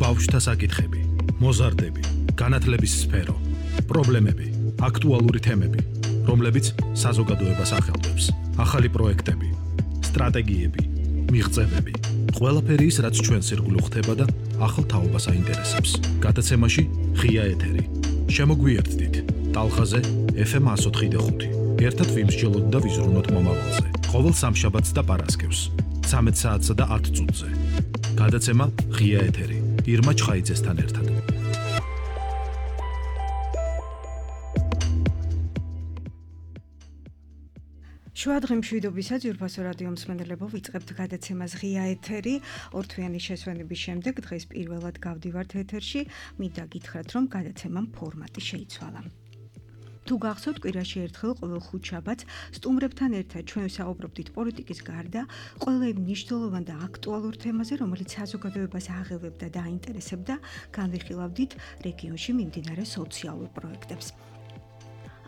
ბავშვთა საკითხები, მოზარდები, განათლების სფერო, პრობლემები, აქტუალური თემები, რომლებიც საზოგადოებას ახელვებს, ახალი პროექტები, სტრატეგიები, მიღწევები, ყველაფერი ის, რაც ჩვენს ირგვლივ ხდება და ახალ თაობას აინტერესებს. გადაცემაში ღია ეთერი. შემოგვიერთდით ტალღაზე FM 104.5. ერთად ვიმსჯელოთ და ვიზრუნოთ მომავალზე. ყოველ სამშაბათს და პარასკევს 13 საათსა და 10 წუთზე. გადაცემა ღია ეთერი. ირმა ჩხაიძესთან ერთად. შუადღე მშვიდობისა ძვირფასო რადიო მსმენელებო, ვიწყებთ გადაცემას ღია ეთერი. ორთვიანი შესვენების შემდეგ დღეს პირველად გავდივართ ეთერში. მინდა გითხრათ, რომ გადაცემამ ფორმატი შეიცვალა. თუ გახსოვთ, კვირაში ერთხელ ყოველ ხუთშაბათს სტუმრებთან ერთად ჩვენ ვსაუბრობდით პოლიტიკის გარდა ყველა იმ მნიშვნელოვან და აქტუალურ თემაზე, რომელიც საზოგადოებას აღელვებდა და აინტერესებდა, განვიხილავდით რეგიონში მიმდინარე სოციალურ პროექტებს.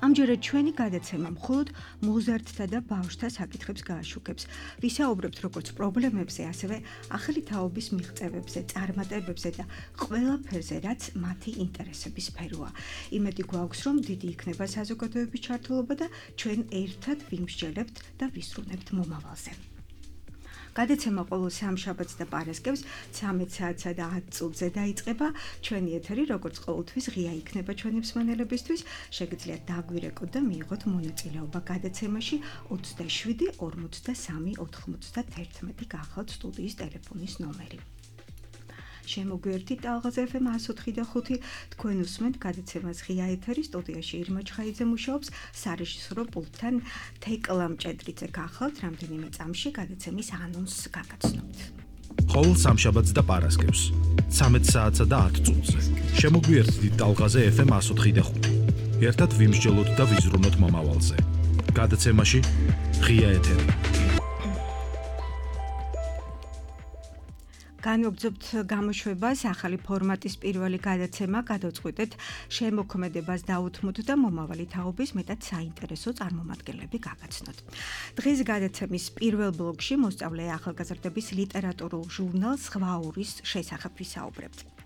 ამჯერად ჩვენი გადაცემა მხოლოდ მოზარდთა და ბავშვთა საკითხებს გააშუქებს. ვისაუბრებთ როგორც პრობლემებზე, ასევე ახალი თაობის მიღწევებზე, წარმატებებზე და ყველაფერზე, რაც მათი ინტერესების სფეროა. იმედი გვაქვს, რომ დიდი იქნება საზოგადოების ჩართულობა და ჩვენ ერთად ვიმსჯელებთ და ვისრუნებთ მომავალზე. გადაცემა ყოველ სამშაბათს და პარასკევს 13 საათსა და 10 წუთზე დაიწყება. ჩვენი ეთერი, როგორც ყოველთვის, ღია იქნება ჩვენი მსმენელებისთვის. შეგიძლიათ დაგვირეკოთ და მიიღოთ მონაწილეობა გადაცემაში. 27 43 91 გახავთ სტუდიის ტელეფონის ნომერი. შემოგვიერთდით ტალღაზე FM 104.5. თქვენ უსმენთ გადაცემას ღია ეთერი. სტუდიაში ირმა ჩხაიძე მუშაობს, სარეჟისორო პულტთან თეკლა მჭედრიძე გახავთ. რამდენიმე წამში გადაცემის ანონსს გაგაცნობთ. ყოველ სამშაბათს და პარასკევს 13 საათსა და 10 წუთზე. შემოგვიერთდით ტალღაზე FM 104.5. ერთად ვიმსჯელოთ და ვიზრუნოთ მომავალზე. გადაცემაში ღია ეთერი. განვაგრძობთ გამოშვებას, ახალი ფორმატის პირველი გადაცემა გადავწყვიტეთ შემოქმედებას დაუთმოთ და მომავალი თაობის მეტად საინტერესო წარმომადგენლები გაგაცნოთ. დღეს გადაცემის პირველ ბლოკში მოსწავლე ახალგაზრდების ლიტერატურულ ჟურნალ „ზღვაურის“ შესახებ ვისაუბრებთ.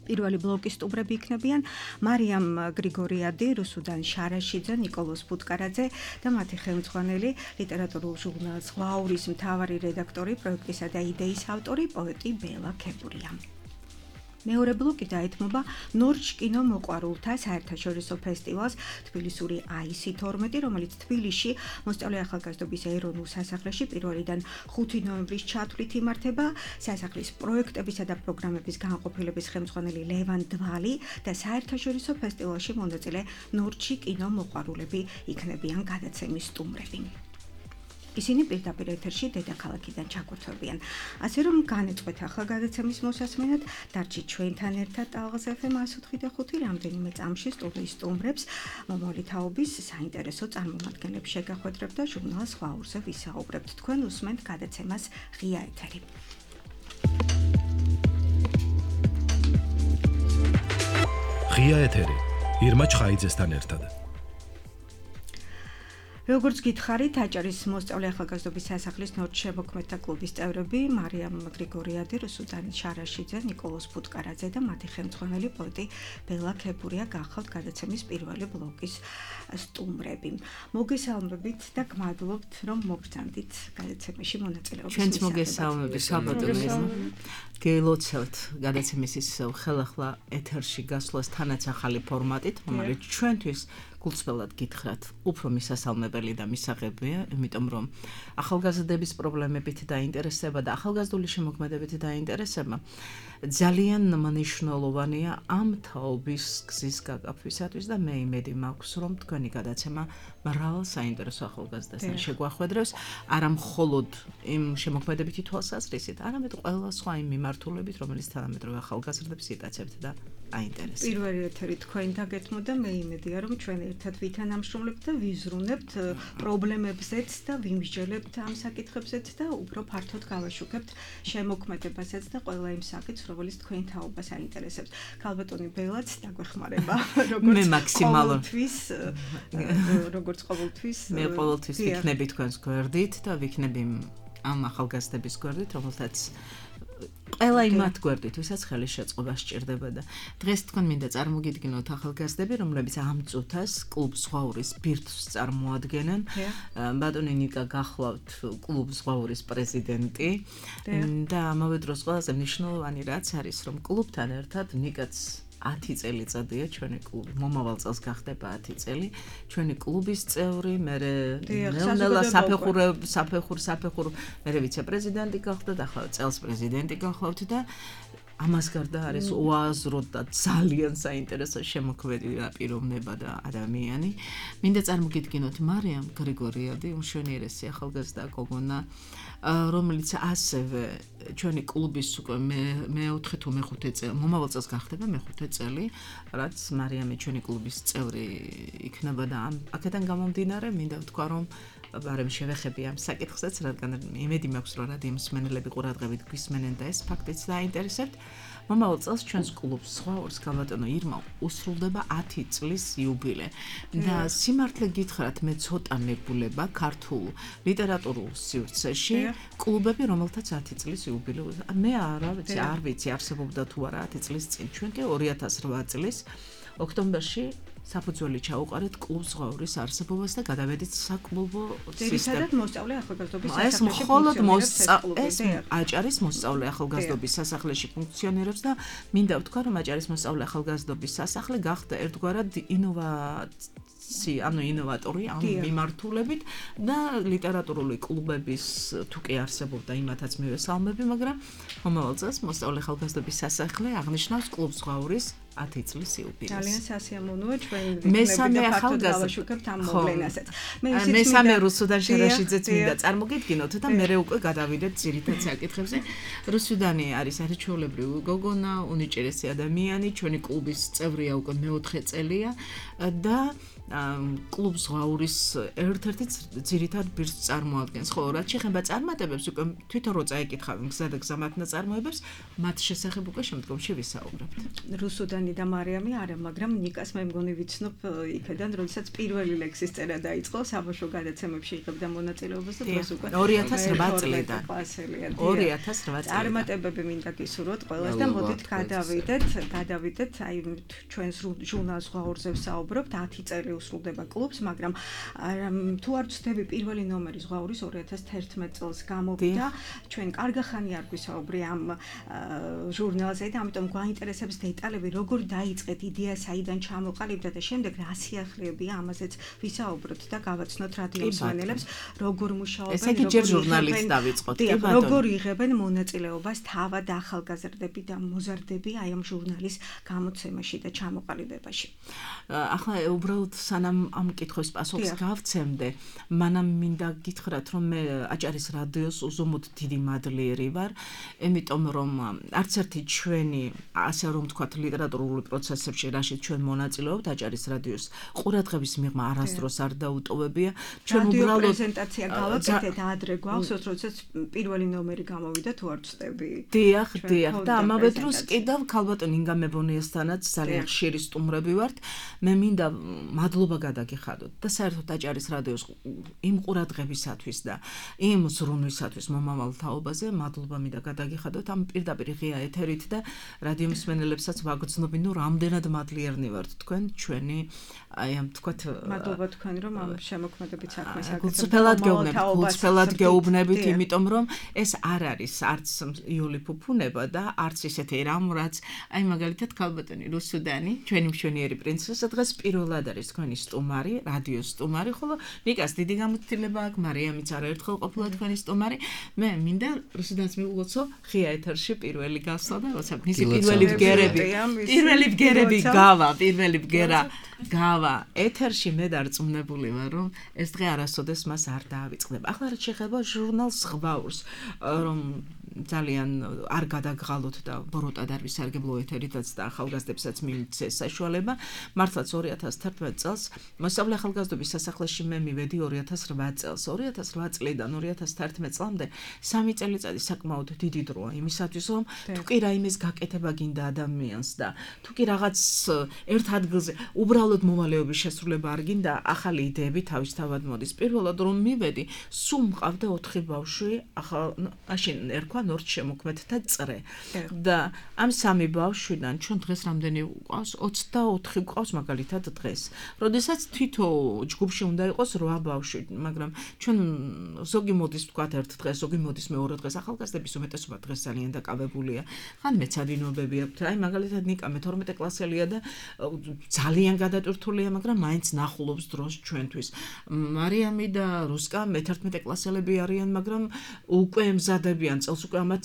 პირველი ბლოკის სტუმრები იქნებიან მარიამ გრიგორიადი, რუსუდან შარაშიძე, ნიკოლოზ ბუტკარაძე და მათი ხელმძღვანელი ლიტერატურულ ჟურნალ „ზღვაურის“ მთავარი რედაქტორი, პროექტისა და იდეის ავტორი, პოეტი ბელა ქებურია. მეორე ბლოკი დაეთმობა ნორჩ კინო მოყვარულთა საერთაშორისო ფესტივალს თბილისური IC12, რომელიც თბილისში მოსწავლე ახალგაზრდობის ეროვნულ სასახლეში 1-დან 5 ნოემბრის ჩათვლით იმართება. სასახლის პროექტებისა და პროგრამების განყოფილების ხელმძღვანელი ლევან დვალი და საერთაშორისო ფესტივალში მონაწილე ნორჩი კინო მოყვარულები იქნებიან გადაცემის სტუმრები. ისინი პირდაპირ ეთერში დედაქალაქიდან ჩაგვერთვებიან. ასე რომ განეწყვეთ ახლა გადაცემის მოსასმენად, დარჩით ჩვენთან ერთად ტალღაზე FM 104.5. რამდენიმე წამში სტუდიის სტუმრებს მომავალი თაობის საინტერესო წარმომადგენლებს შეგახვედრებთ და ჟურნალ „ზღვაურზე“ ვისაუბრებთ. თქვენ უსმენთ გადაცემას ღია ეთერი. ღია ეთერი. ირმა ჩხაიძესთან ერთად. როგორც გითხარით, აჭარის მოსწავლე ახალგაზრდობის სასახლის ნორჩ შემოქმედთა კლუბის წევრები მარიამ გრიგორიადი, რუსუდან შარაშიძე, ნიკოლოზ ბუტკარაძე და მათი ხელმძღვანელი პოეტი ბელა ქებურია გახავთ გადაცემის პირველი ბლოკის სტუმრები. მოგესალმებით და გმადლობთ, რომ მოგწანდით გადაცემაში მონაწილეობის. ჩვენც მოგესალმებით, საბადო. გელოცავთ გადაცემის ისევ ხელახლა ეთერში გასვლას თანაც ახალი ფორმატით, რომელიც ჩვენთვის გულწრფელად გითხრათ, უფრო მისასალმებელი და მისაღებია, იმიტომ რომ ახალგაზრდების პრობლემებით დაინტერესება და ახალგაზრდული შემოქმედებით დაინტერესება ძალიან მნიშვნელოვანია ამ თაობის გზის გაკაფვისათვის და მე იმედი მაქვს, რომ თქვენი გადაცემა მრავალ საინტერესო ახალგაზრდასთან შეგვახვედრებს, არა მხოლოდ იმ შემოქმედებითი თვალსაზრისით, არამედ ყველა სხვა იმ მიმართულებით, რომელიც თანამედროვე ახალგაზრდებს იტაცებთ და აინტერესებს. პირველი ეთერი თქვენ დაგეთმო და მე იმედია, რომ ჩვენ ერთად ვითანამშრომლებთ და ვიზრუნებთ პრობლემებზეც და ვიმსჯელებთ ამ საკითხებზეც და უფრო ფართოდ გავაშუქებთ შემოქმედებასაც და ყველა იმ საკითხს, რომელიც თქვენ თაობას აინტერესებს. ქალბატონი ბელაც დაგვეხმარება, როგორც ყოველთვის. მე ყოველთვის ვიქნები თქვენს გვერდით და ვიქნები ამ ახალგაზრდების გვერდით, რომელთაც ყველა იმათ გვერდით, ვისაც ხელი შეწყობა სჭირდება და დღეს თქვენ მინდა წარმოგიდგინოთ ახალგაზრდები, რომლებიც ამ წუთას კლუბ ზღვაურის ბირთვს წარმოადგენენ. ბატონი ნიკა გახლავთ კლუბ ზღვაურის პრეზიდენტი და ამავე დროს ყველაზე მნიშვნელოვანი რაც არის, რომ კლუბთან ერთად ნიკაც 10 წელიწადია ჩვენი კლუბი. მომავალ წელს გახდება 10 წელი. ჩვენი კლუბის წევრი, მე ნელ-ნელა საფეხურ, მე ვიცე-პრეზიდენტი გახდა, ახლა წელს პრეზიდენტი გახლავთ და ამას გარდა არის უაზრო და ძალიან საინტერესო შემოქმედი პიროვნება და ადამიანი. მინდა წარმოგიდგინოთ მარიამ გრიგორიადი, უმშვენიერესი ახალგაზრდა გოგონა, რომელიც ასევე ჩვენი კლუბის უკვე მე-4 თუ მე-5 წელი, მომავალ წელს გახდება მე-5 წელი, რაც მარიამი ჩვენი კლუბის წევრი იქნება და აქედან გამომდინარე მინდა ვთქვა, რომ ბარემ შევეხები ამ საკითხსაც, რადგან იმედი მაქვს, რომ რადიო მსმენელები ყურადღებით გვისმენენ და ეს ფაქტიც დაინტერესებთ. მომავალ წელს ჩვენს კლუბს ზღვაურს გაბატონო ირმა უსრულდება 10 წლის იუბილე და სიმართლე გითხრათ მე ცოტა მეგულება ქართულ ლიტერატურულ სივრცეში კლუბები რომელთაც 10 წლის იუბილე მე არ ვიცი არსებობდა თუ არა 10 წლის წინ ჩვენ კი 2008 წლის ოქტომბერში საფუძველი ჩაუყარეთ კლუბ ზღვაურის არსებობას და გადავედით საკლუბო სისტემად მოსწავლე ახალგაზრდობის სასახლეში. ეს მხოლოდ აჭარის მოსწავლე ახალგაზრდობის სასახლეში ფუნქციონირებს და მინდა ვთქვა, რომ აჭარის მოსწავლე ახალგაზრდობის სასახლე გახდა ერთგვარად ინოვატორი ამ მიმართულებით და ლიტერატურული კლუბების თუ კი არსებობდა იმათაც მივესალმები, მაგრამ მომავალ წელს მოსწავლე ახალგაზრდობის სასახლე აღნიშნავს კლუბ ზღვაურის 10 წლის იუბილეს. ძალიან სასიამოვნოა ჩვენ მესამე ახალგაზრდა ამ მოვლენასაც. მესამე რუსუდან შერაშიძეც მინდა წარმოგიდგინოთ და მე უკვე გადავიდეთ ძირითად საკითხებზე. რუსუდანი არის არაჩვეულებრივი გოგონა, უნიჭერესი ადამიანი, ჩვენი კლუბის წევრია უკვე მე-4 წელია და კლუბ ზღვაურის ერთ-ერთი ძირითად ბირთვს წარმოადგენს. ხო, რაც შეეხება წარმატებებს, უკვე თვითონ რო წაიკითხავენ გზა და გზა მათ ნაწარმოებებს, მათ შესახებ უკვე შემდგომში ვისაუბრებთ. რუსუდანი და მარიამი არა, მაგრამ ნიკას მე მგონი ვიცნობ იქედან, როდესაც პირველი ლექსის წერა დაიწყო, საბავშვო გადაცემებში იღებდა მონაწილეობას და დროს უკვე 2008 წლიდან. 2008 წარმატებები მინდა გისურვოთ ყველას და მოდით გადავიდეთ, აი ჩვენს ჟურნალ ზღვაურზე ვსაუბრობთ 10 წელი უსრულდება კლუბს, მაგრამ თუ არ ვცდები პირველი ნომერი ზღვაურის 2011 წელს გამოვიდა. ჩვენ კარგი ხანი არ გვისაუბრი ამ ჟურნალზე და ამიტომ გვაინტერესებს დეტალები, როგორ დაიწყეთ იდეა, საიდან ჩამოყალიბდა და შემდეგ რა სიახლეებია, ამაზეც ვისაუბროთ და გავაცნოთ რადიო მსმენელებს, როგორ მუშაობენ, ესე იგი ჯერ ჟურნალით დავიწყოთ, კი ბატონო. როგორ იღებენ მონაწილეობას თავად ახალგაზრდები და მოზარდები აი ამ ჟურნალის გამოცემაში და ჩამოყალიბებაში. ახლა უბრალოდ სანამ ამ კითხვის პასუხს გავცემდე, მანამ მინდა გითხრათ, რომ მე აჭარის რადიოს უზომოდ დიდი მადლიერი ვარ, იმიტომ რომ არც ერთი ჩვენი, ასე რომ ვთქვათ, ლიტერატურული პროცესებში, რაშიც ჩვენ მონაწილეობთ, აჭარის რადიოს ყურადღების მიღმა არასდროს არ დაუტოვებია. ჩვენ უბრალოდ პრეზენტაცია გავაკეთეთ ადრე გვაქვს, როდესაც პირველი ნომერი გამოვიდა, თუ არ ვცდები. დიახ, და ამავე დროს კიდევ ქალბატონ ინგა მებონიასთანაც ძალიან ხშირი სტუმრები ვართ. მე მინდა მადლობა გადაგიხადოთ და საერთოდ აჭარის რადიოს იმ ყურადღებისათვის და იმ ზრუნვისათვის მომავალ თაობაზე მადლობა მინდა გადაგიხადოთ ამ პირდაპირ ღია ეთერით და რადიო მსმენელებსაც ვაგრძნობინ, რომ რამდენად მადლიერნი ვართ თქვენ ჩვენი აი ამ თქვათ მადლობა თქვენ რომ ამ შემოქმედებით საქმეს გულწრფელად გეუბნებით, იმიტომ რომ ეს არ არის არც იული ფუფუნება და არც ისეთი რამ, რაც აი მაგალითად ქალბატონი რუსუდანი, ჩვენი მშვენიერი პრინცესა დღეს პირველად არის თქვენი სტუმარი, რადიოს სტუმარი, ხოლო ნიკას დიდი გამოცდილება აქვს, მარიამიც არაერთხელ ყოფილა თქვენი სტუმარი. მე მინდა რუსუდანს მივუღოცო ღია ეთერში პირველი გასვლა და როცა მისი პირველი ბგერები გავა ეთერში მე დარწმუნებული ვარ, რომ ეს დღე არასოდეს მას არ დაავიწყდება. ახლა რაც შეეხება ჟურნალ ზღვაურს, რომ ძალიან არ გადაგღალოთ და ბოროტად არ ვისარგებლო ეთერითაც და ახალგაზრდებსაც მივცეს საშუალება. მართლაც 2011 წელს მოსწავლე ახალგაზრდობის სასახლეში მე მივედი 2008 წელს. 2008 წლიდან 2011 წლამდე 3 წელიწადი საკმაოდ დიდი დროა იმისათვის, რომ თუ კი რაიმეს გაკეთება გინდა ადამიანს და თუ კი რაღაც ერთ ადგილზე უბრალოდ მოვალეობის შესრულება არ გინდა, ახალი იდეები თავისთავად მოდის. პირველად რომ მივედი, სულ მყავდა 4 ბავშვი, მაშინ ერქვა ნორჩ შემოქმედთა წრე. და ამ სამი ბავშვიდან ჩვენ დღეს რამდენი გვყავს? 24 გვყავს მაგალითად დღეს. როდესაც თვითო ჯგუფში უნდა იყოს 8 ბავშვი, მაგრამ ჩვენ ზოგი მოდის ვთქვათ ერთ დღეს, ზოგი მოდის მეორე დღეს, ახალგაზრდების უმეტესობა დღეს ძალიან დაკავებულია. ხან მეცადინობები აქვთ. აი მაგალითად ნიკა მე-12 კლასელია და ძალიან გადატვირთულია, მაგრამ მაინც ნახულობს დროს ჩვენთვის. მარიამი და რუსკა მე-11 კლასელები არიან, მაგრამ უკვე ემზადებიან წელს უკვე ამაც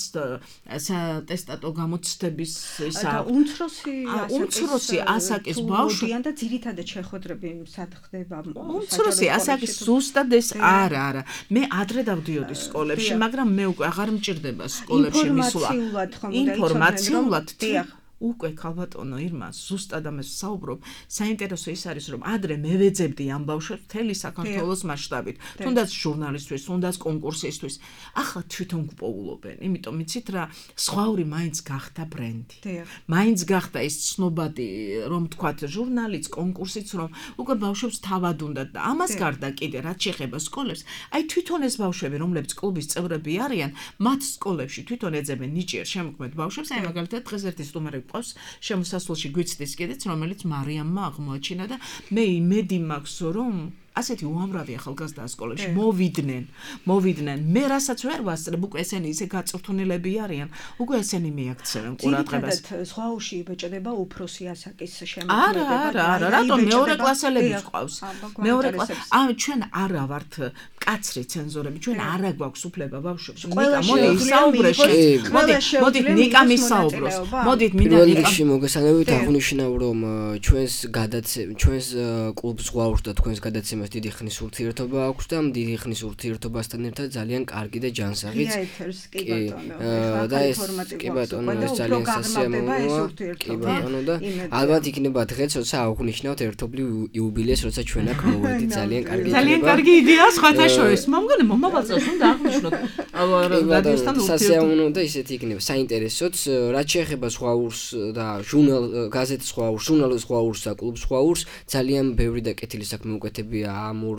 სატესტატო გამოცდების ისა უმცროსი ასაკის ბავშვი და ძირითადად შეხვედრები სად ხდება? უმცროსი ასაკის ზუსტად ეს არა. მე ადრე დავდიოდი სკოლებში, მაგრამ მე უკვე აღარ მჭირდება სკოლებში მისვლა. ინფორმაციულად უკვე ქალბატონო ირმა ზუსტად ამას საუბრობ. საინტერესო ის არის, რომ ადრე მე ვეძებდი ამ ბავშვებს მთელი საქართველოს მასშტაბით, თუნდაც ჟურნალისტვის, თუნდაც კონკურსისთვის. ახლა თვითონ გპოულობენ, იმიტომ იცით რა, სხვაური მაინც გახდა ბრენდი. მაინც გახდა ის ცნობადი, რომ თქვათ ჟურნალიც, კონკურსიც, რომ უკვე ბავშვებს თავად უნდათ და ამას გარდა კიდე რაც შეეხება სკოლებს, აი თვითონ ეს ბავშვები, რომლებიც კლუბის წევრები არიან, მათ სკოლებში თვითონ ეძებენ ნიჭიერ შემოქმედ ბავშვებს, აი მაგალითად დღეს ერთი სტუმარი შემოსასვლელში გვიცდის კიდეც, რომელიც მარიამმა აღმოაჩინა და მე იმედი მაქვს, რომ ასეთი უამრავი ახალგაზრდა სკოლებში მოვიდნენ. მე რასაც ვერ ვასწრებ, უკვე ესენი ისე გაწვრთნილები არიან, უკვე ესენი მიაქცევენ ყურადღებას. ძირითადად ზღვაოში იბეჭდება უფროსი ასაკის შემოქმედება. არა, რატომ მეორე კლასელები ყავს? მეორე კლასელები. ჩვენ არა ვართ კაცრი ცენზორები, ჩვენ არა გვაქვს უფლება ბავშვებს. ნიკა, მოდი ისაუბრე. მოდით ნიკა მისაუბროს. მოდით მინდა ნიკა. პირველში მოგესალმებით, აღნიშნავ, რომ ჩვენს კლუბ ზღვაურს და თქვენს გადაცემას დიდი ხნის ურთიერთობა აქვს და დიდი ხნის ურთიერთობასთან ერთად ძალიან კარგი და ჯანსაღიც. და ეს კი ბატონო, ეს ძალიან სასიამოვნოა. კი ბატონო და ალბათ იქნება დღეც, როცა აღნიშნავთ ერთობლივ იუბილეს, როცა ჩვენ აქ მოვედით, ძალიან კარგი იქნება. ძალიან კარგი იდეა სხვათა შორის. მომგონი მომავალ წელს უნდა აღნიშნოთ. რადიოსთან ურთიერთობა. სასიამოვნო და ისეთი იქნება, საინტერესოც, რაც შეეხება ზღვაურს და გაზეთ ზღვაურს, ჟურნალ ზღვაურს და კლუბ ზღვაურს, ძალიან ბევრი და კეთილი საქმე უკეთებია ამურ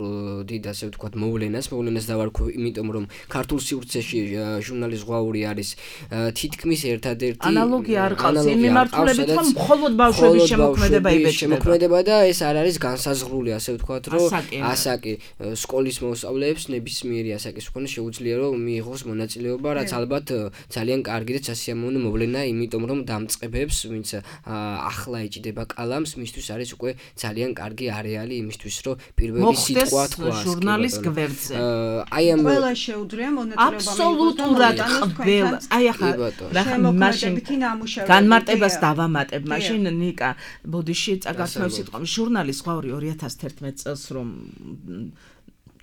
დიდ ასე ვთქვათ მოვლენას დავარქვი, იმიტომ რომ ქართულ სივრცეში ჟურნალის ზღვაური არის თითქმის ერთადერთი ანალოგია არ ყავს იმ მიმართულებით, რომ მხოლოდ ბავშვების შემოქმედება იბეჭდება და ეს არ არის განსაზღვრული, ასე ვთქვათ, რომ ასაკი სკოლის მოსწავლეებს ნებისმიერი ასაკის მქონე შეუძლია რომ მიიღოს მონაწილეობა, რაც ალბათ ძალიან კარგი და სასიამოვნო მოვლენაა, იმიტომ რომ დამწყებებს, ვინც ახლა ეჭდება კალამს, მისთვის არის უკვე ძალიან კარგი არეალი იმისთვის, რომ პირველი სიტყვა თქვა ჟურნალის გვერდზე. აი ამ ყველა შეუძლია მონაწილეობა მიიღოს. აბსოლუტურად ყველა. აი ახლა მაშინ განმარტებას დავამატებ. მაშინ ნიკა ბოდიში წაგართმევ სიტყვა. ჟურნალის ზღვაური 2011 წელს რომ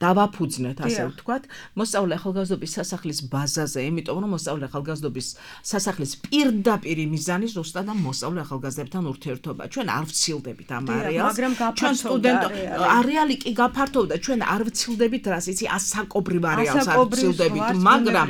დავაფუძნეთ, ასე ვთქვათ, მოსწავლე ახალგაზრდობის სასახლის ბაზაზე, იმიტომ რომ მოსწავლე ახალგაზრდობის სასახლის პირდაპირი მიზანი ზუსტად ამ მოსწავლე ახალგაზრდებთან ურთიერთობა. ჩვენ არ ვცილდებით ამ არეალს. ჩვენ სტუდენტო არეალი კი გაფართოვდა, ჩვენ არ ვცილდებით რას, იცი, ასაკობრივ არეალს არ ვცილდებით, მაგრამ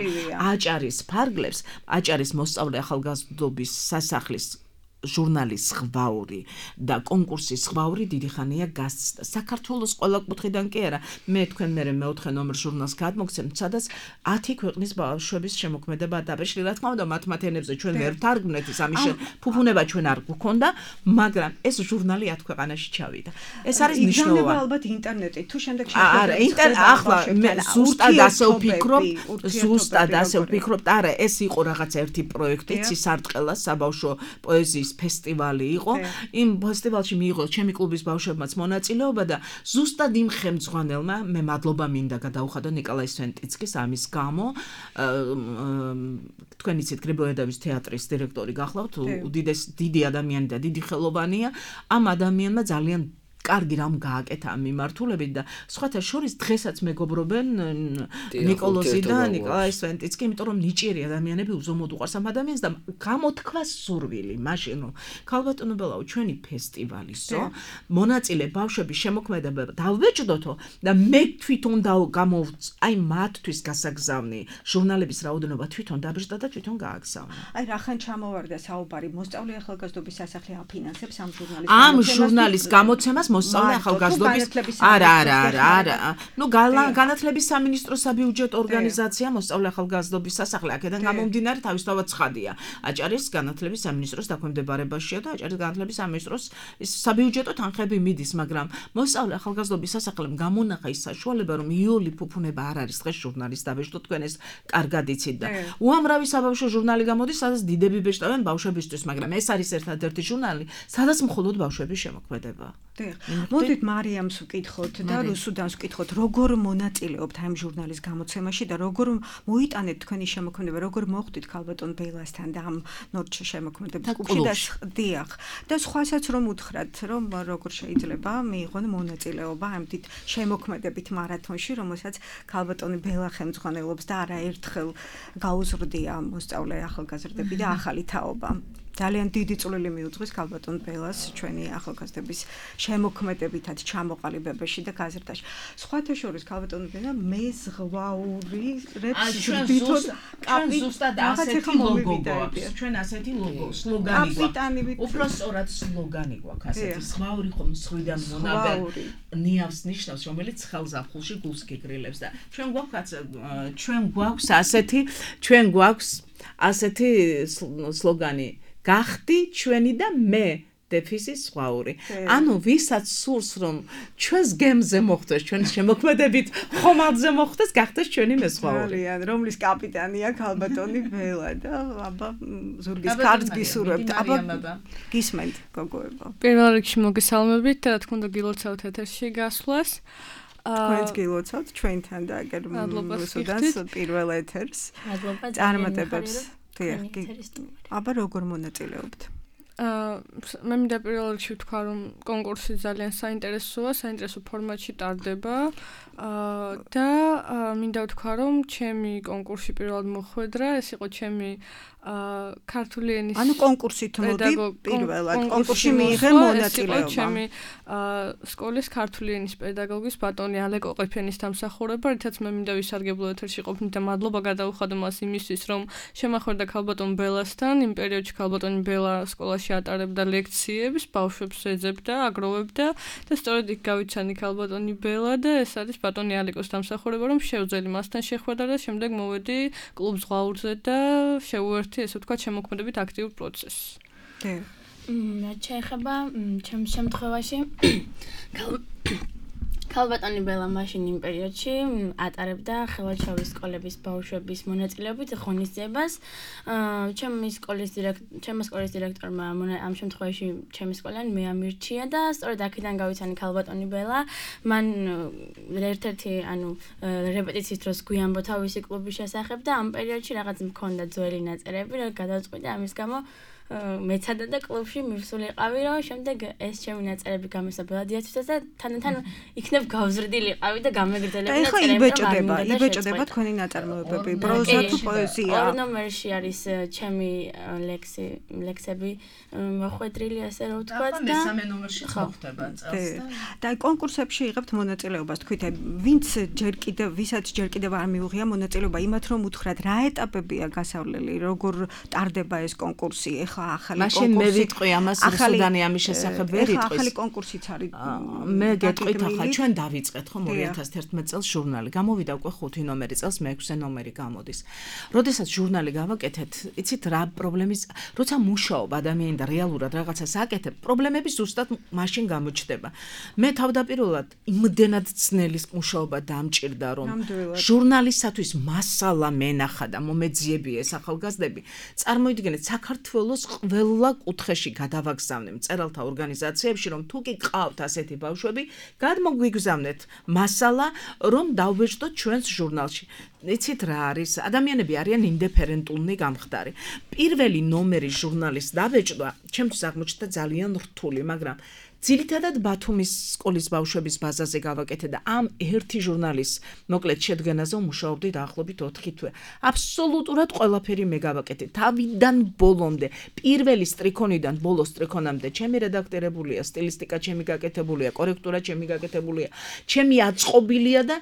აჭარის ფარგლებს, აჭარის მოსწავლე ახალგაზრდობის სასახლის ჟურნალის ზღვაური და კონკურსის ზღვაური დიდი ხანია გასცდა. საქართველოს ყველა კუთხიდან კი არა. მე თქვენ მე-4 ნომერ ჟურნალს გადმოგცემთ, სადაც 10 ქვეყნის ბავშვების შემოქმედება დაბეჭდი. რა თქმა უნდა, მათ ენებზე ჩვენ ვერ ვთარგმნეთ, ის ამის ფუფუნება ჩვენ არ გვქონდა, მაგრამ ეს ჟურნალი 10 ქვეყანაში ჩავიდა. ეს არის მნიშვნელოვანი. იგზავნება ალბათ ინტერნეტით, თუ შემდეგ არა, ახლა მე ზუსტად ასე ვფიქრობ, არა, ეს იყო რაღაც ერთი პროექტი, ცისარტყელა საბავშვო პოეზიის ფესტივალი იყო. იმ ფესტივალში მიიღო ჩემი კლუბის ბავშვებმაც მონაწილეობა და ზუსტად იმ ხელმძღვანელმა მე მადლობა მინდა გადაუხადო ნიკოლაი სვენტიცკის ამის გამო. თქვენ იცით გრიბოედავის თეატრის დირექტორი გახლავთ, დიდი ადამიანი და დიდი ხელოვანია. ამ ადამიანმა ძალიან კარგი რამ გააკეთა ამ მიმართულებით და სხვათა შორის დღესაც მეგობრობენ ნიკოლოზი და ნიკოლაი სვენტიცკი, იმიტომ რომ ნიჭიერი ადამიანები უზომოდ უყვარს ამ ადამიანს და გამოთქვა სურვილი მაშინ რომ ქალბატონო ბელაო ჩვენი ფესტივალისო მონაწილე ბავშვების შემოქმედება დავბეჭდოთო და მე თვითონ აი მათთვის გასაგზავნი ჟურნალების რაოდენობა თვითონ დაბეჭდა და თვითონ გააგზავნა. აი რახან ჩამოვარდა საუბარი მოსწავლე ახალგაზრდობის სასახლე აფინანსებს ამ ჟურნალის ამ ჟურნალის გამოცემას მოსწავლე ახალგაზრდობის არა. ნუ განათლების სამინისტროს საბიუჯეტო ორგანიზაცია მოსწავლე ახალგაზრდობის სასახლე აქედან გამომდინარე თავისთავად ცხადია. აჭარის განათლების სამინისტროს დაქვემდებარებაშია და აჭარის განათლების სამინისტროს საბიუჯეტო თანხები მიდის, მაგრამ მოსწავლე ახალგაზრდობის სასახლემ გამონახა ის საშუალება, რომ იოლი ფუფუნება არ არის დღეს ჟურნალის დაბეჭდო, თქვენ ეს კარგად იცით და უამრავი საბავშვო ჟურნალი გამოდის, სადაც დიდები ბეჭდავენ ბავშვებისთვის, მაგრამ ეს არის ერთადერთი ჟურნალი, სადაც მხოლოდ ბავშვების შემოქმედება. მოდით მარიამს ვკითხოთ და რუსუდანს ვკითხოთ, როგორ მონაწილეობთ ამ ჟურნალის გამოცემაში და როგორ მოიტანეთ თქვენი შემოქმედება, როგორ მოხვდით ქალბატონ ბეილასთან და ამ ნორჩ შემოქმედების კლუბში და სხვასაც რომ უთხრათ, რომ როგორ შეიძლება მიიღონ მონაწილეობა ამ დიდ შემოქმედებით მარათონში, რომელსაც ქალბატონი ბელა ხელმძღვანელობს და არაერთხელ გაუზრდია მოსწავლე ახალგაზრდები და ახალი თაობა. ძალიან დიდი წვლილი მიუძღვის ქალბატონ ბელას ჩვენი ახალგაზრდების შემოქმედებითაც ჩამოყალიბებაში და გაზრდაში. სხვათა შორის ქალბატონ ბელა მეზღვაური რებს ჟდითოთ ზუსტად ასეთი ლოგო გვაქვს. ჩვენ ასეთი ლოგო, სლოგანი გვაქვს. უпростоრად სლოგანი გვაქვს ასეთი. ზღვაური ხომ სხვიდან მონაბე ნიავს ნიშნავს, რომელიც ხელზაფხულში გულს გიგრილებს და ჩვენ გვაქვს ასეთი სლოგანი გახდი ჩვენი და მე დეფისი ზღვაური. ანუ ვისაც სურს რომ ჩვენს გემზე მოხვდეს, ჩვენს შემოქმედებით ხომალდზე მოხვდეს, გახდეს ჩვენი მეზღვაური. რომლის კაპიტანია ქალბატონი ბელა და აბა ზურგის კარს გისურვებთ. აბა გისმენთ გოგოებო. პირველ რიგში მოგესალმებით და რა თქმა უნდა გილოცავთ ეთერში გასვლას. თქვენს გილოცავთ ჩვენთან და აგერ რუსუდანს პირველ ეთერს. წარმატებებს. აბა როგორ მონაწილეობთ? მე მინდა პირველ რიგში ვთქვა, რომ კონკურსი ძალიან საინტერესო ფორმატში ტარდება და მინდა ვთქვა, რომ ჩემი კონკურსი პირველად მოხვედრა, ეს იყო ჩემი ქართული ენის ანუ კონკურსით მოდი პირველად კონკურსში მიიღე მონაწილეობა. ჩემი სკოლის ქართული ენის პედაგოგის ბატონი ალეკო ყიფენის დამსახურება, რითაც მე მინდა ვისარგებლო ეთერში ყოფნით და მადლობა გადავუხადო მას იმისთვის, რომ შემახვერდა ქალბატონ ბელასთან. იმ პერიოდში ქალბატონი ბელა სკოლაში ატარებდა ლექციებს, ბავშვებს ეძებდა, აგროვებდა და სწორედ იქ გავიცანი ქალბატონი ბელა და ეს არის ბატონი ალეკოს დამსახურება, რომ შევძელი მასთან შეხვედრა და შემდეგ მოვედი კლუბ ზღვაურზე და შევუერთდი, ესე ვთქვათ, შემოქმედებით აქტიურ პროცესს. რაც შეეხება ჩემს შემთხვევაში ქალბატონი ბელა მაშინ იმ პერიოდში ატარებდა ხელვაჩავის სკოლების ბავშვების მონაწილეობით ღონისძიებას. ჩემი სკოლის დირექტორმა ამ შემთხვევაში ჩემი სკოლიდან მე ამირჩია და სწორედ აქედან გავიცანი ქალბატონი ბელა. მან ერთ-ერთი რეპეტიციის დროს გვიანბო თავისი კლუბის შესახებ და ამ პერიოდში რაღაც მქონდა ძველი ნაწერები, რა გადავწყვიტე ამის გამო მეცადა და კლუბში მივსულიყავი, რომ შემდეგ ეს ჩემი ნაწერები გამოსაბელადიაცვეს და თანდათან იქნებ გავზრდილიყავი და გამეგრძელებინა წერები. ეხლა იბეჭდება თქვენი ნაწარმოებები, პროზა თუ პოეზია? ორ ნომერში არის ჩემი ლექსები მოხვედრილი, ასე რომ ვთქვათ და მესამე ნომერში ხდება წელს და კონკურსებში იღებთ მონაწილეობას, თქვით, ვისაც ჯერ კიდევ არ მიუღია მონაწილეობა, იმათ რომ უთხრათ, რა ეტაპებია გასავლელი, როგორ ტარდება ეს კონკურსი? მაშინ მე ვიტყვი ამას რუსუდანი ამის შესახებ ვერ იტყვის. ახალი კონკურსიც არის. მე გეტყვით ახლა ჩვენ დავიწყეთ ხომ 2011 წელს ჟურნალი. გამოვიდა უკვე 5 ნომერი წელს, მე-6 ნომერი გამოდის. როდესაც ჟურნალი გავაკეთეთ, იცით რა პრობლემის, როცა მუშაობ ადამიანი და რეალურად რაღაცას აკეთებ, პრობლემები ზუსტად მაშინ გამოჩნდება. მე თავდაპირველად იმდენად ძნელი მუშაობა დამჭირდა, რომ ჟურნალისათვის მასალა მენახა და მომეძიები ეს ახალგაზრდები. წარმოიდგინეთ საქართველოს ყველა კუთხეში გადავაგზავნე მწერალთა ორგანიზაციებში, რომ თუ კი ყავთ ასეთი ბავშვები, გადმოგვიგზავნეთ მასალა, რომ დავბეჭდოთ ჩვენს ჟურნალში. იცით რა არის? ადამიანები არიან ინდიფერენტულნი გამხდარი. პირველი ნომერი ჟურნალის დაბეჭდვა ჩემთვის აღმოჩნდა ძალიან რთული, მაგრამ ძირითადად ბათუმის სკოლის ბავშვების ბაზაზე გავაკეთე და ამ ერთი ჟურნალის მოკლედ შედგენაზე მუშაობდი დაახლოებით 4 თვე. აბსოლუტურად ყველაფერი მე გავაკეთე. თავიდან ბოლომდე, პირველი სტრიქონიდან ბოლოს სტრიქონამდე ჩემი რედაქტორებულია, სტილისტიკა ჩემი გაკეთებულია, კორექტურა ჩემი გაკეთებულია, ჩემი აწყობილია და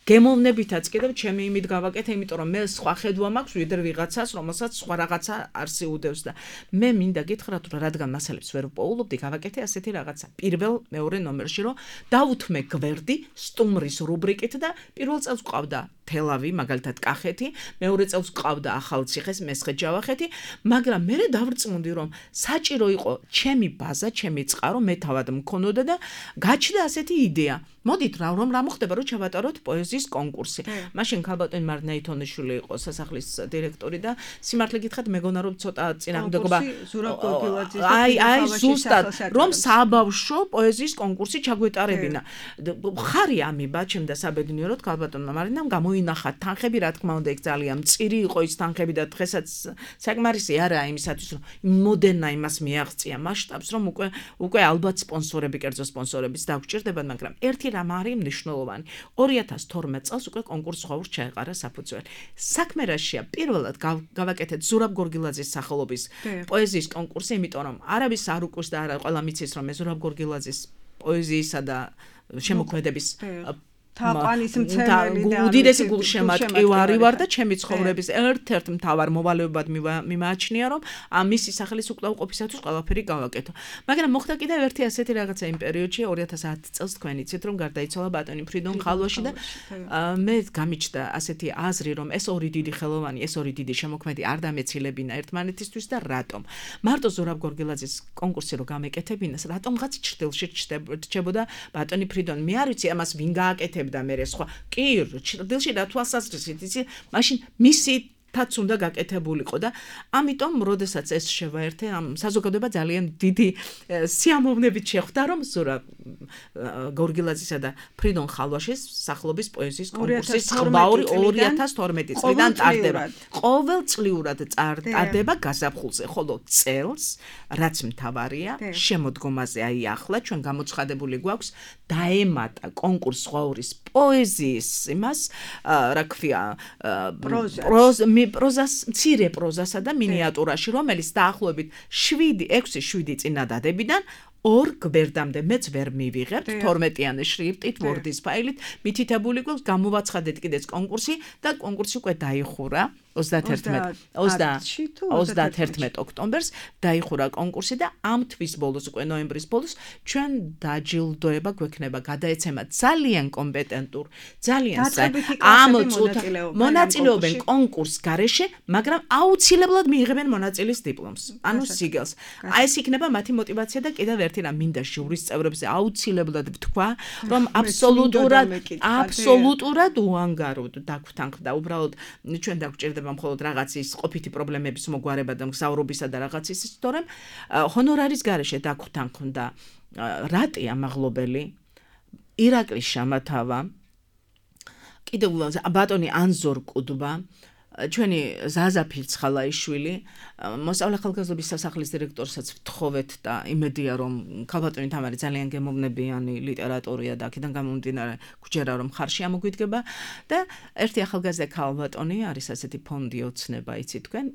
გემოვნებითაც კიდევ ჩემი იმით გავაკეთე, იმიტომ რომ მე სხვა ხედვა მაქვს ვიდრე ვიღაცას, რომელსაც სხვა რაღაცა არსი უდევს და მე მინდა გითხრათ, რომ რადგან მასალებს ვერ ვპოულობდი, გავაკეთე ასეთი რაღაცა. პირველ მეორე ნომერში რომ დავუთმე გვერდი სტუმრის რუბრიკით და პირველ წელს ყავდა თელავი, მაგალითად კახეთი, მეორე წელს ყავდა ახალციხეს, მესხე ჯავახეთი, მაგრამ მე დავრწმუნდი რომ საჭირო იყო ჩემი ბაზა, ჩემი წყარო, მე თავად მქონოდა და გაჩნდა ასეთი იდეა. მოდით რა მოხდება, რომ ჩავატაროთ პოეზიის კონკურსი. მაშინ ქალბატონი მარნაითონიშვილი იყო სასახლის დირექტორი და სიმართლე გითხრათ, მეგონა რომ ცოტა წინამორბედება აი ზუსტად რომ საბავშვო პოეზიის კონკურსი ჩაგვეტარებინა. ხარი ამიბა ჩემ და საბედნიეროდ ქალბატონმა მარინამ გამოინახა თანხები, რა თქმა უნდა, ეგ ძალიან მწირი იყო ის თანხები და დღესაც საკმარისი არაა იმისათვის, რომ მოდერნა იმას მიაღწია მასშტაბს, რომ უკვე ალბათ სპონსორები, კერძო სპონსორებიც დაგვჭირდებათ, მაგრამ ერთი რამ არის მნიშვნელოვანი. 2012 წელს უკვე კონკურს ხვაურს ჩაეყარა საფუძველი. საქმე რაშია? პირველად გავაკეთეთ ზურაბ გორგილაძის სახელობის პოეზიის კონკურსი, იმიტომ რომ არავის არ უკუს და არა ყველა მიცის, რომ ზურაბ გორგილაძის პოეზიისა და შემოქმედების თაყვანის მცემელი და უდიდესი გულშემატკივარი ვარ და ჩემი ცხოვრების ერთ-ერთ მთავარ მოვალეობად მიმააჩნია, რომ მისი სახელის უკრავყოფისათვის ყველაფერი გავაკეთო. მაგრამ მოხდა კიდევ ერთი ასეთი რაღაცა იმ პერიოდში 2010 წელს თქვენ იცით, რომ გარდაიცვალა ბატონი ფრიდონ ხალვაში და მე გამიჩნდა ასეთი აზრი, რომ ეს ორი დიდი ხელოვანი, ეს ორი დიდი შემოქმედი არ დამეცილებინა ერთმანეთისთვის და რატომ? მარტო ზურაბ გორგილაძის კონკურსი რო გამეკეთებინას, რატომღაც ჭრდილში რჩებოდა ბატონი ფრიდონ? მე არ ვიცი ამას ვინ გააკეთებდა და მე სხვა კი ჭრდილში რა თვალსაზრისით იცი მაშინ მისითაც უნდა გაკეთებულიყო და ამიტომ როდესაც ეს შევაერთე ამ საზოგადოება ძალიან დიდი სიამოვნებით შეხვდა რომ ზურაბ გორგილაძისა და ფრიდონ ხალვაშის სახელობის პოეზიის კონკურსის ხმაური 2012 წლიდან ტარდება ყოველწლიურად ტარდება გაზაფხულზე ხოლო წელს რაც მთავარია შემოდგომაზე აი ახლა ჩვენ გამოცხადებული გვაქვს დაემატა კონკურს ხვაურის პოეზიის იმას რა ქვია პროზას მცირე პროზასა და მინიატურაში რომელიც დაახლოებით 7-6-7 წინადადებიდან 2 გვერდამდე მეც ვერ მივიღებთ 12-იანი შრიფტით ვორდის ფაილით მითითებული გვაქვს გამოვაცხადეთ კიდეც კონკურსი და კონკურსი უკვე დაიხურა 31 ოქტომბერს დაიხურა კონკურსი და ამ თვის ბოლოს უკვე ნოემბრის ბოლოს ჩვენ დაჯილდოება გვექნება გადაეცემა ძალიან კომპეტენტურ ძალიან ამ მონაწილეობენ კონკურს გარეშე მაგრამ აუცილებლად მიიღებენ მონაწილის დიპლომს ანუ სიგელს აი ეს იქნება მათი мотиваცია და კიდევ ერთი რამ მინდა ჟურის წევრებზე აუცილებლად ვთქვა რომ აბსოლუტურად უანგაროდ დაგვთანხმდა უბრალოდ ჩვენ დაგვჭირდება მხოლოდ რაღაცის ყოფითი პრობლემების მოგვარება და მგზავრობისა და რაღაცის თორემ ჰონორარის გარეშე დაგვთანხმდა რატი ამაღლობელი ირაკლის შამათავა კიდევ ბატონი ანზორ კუდბა ჩვენი ზაზა ფირცხალაიშვილი მოსწავლე ახალგაზრდობის სასახლის დირექტორსაც ვთხოვეთ და იმედია რომ ქალბატონი თამარი ძალიან გემოვნებიანი ლიტერატორია და აქედან გამომდინარე გვჯერა რომ ხარში ამოგვიდგება და ერთი ახალგაზრდა ქალბატონი არის ასეთი ფონდი ოცნება იცი თქვენ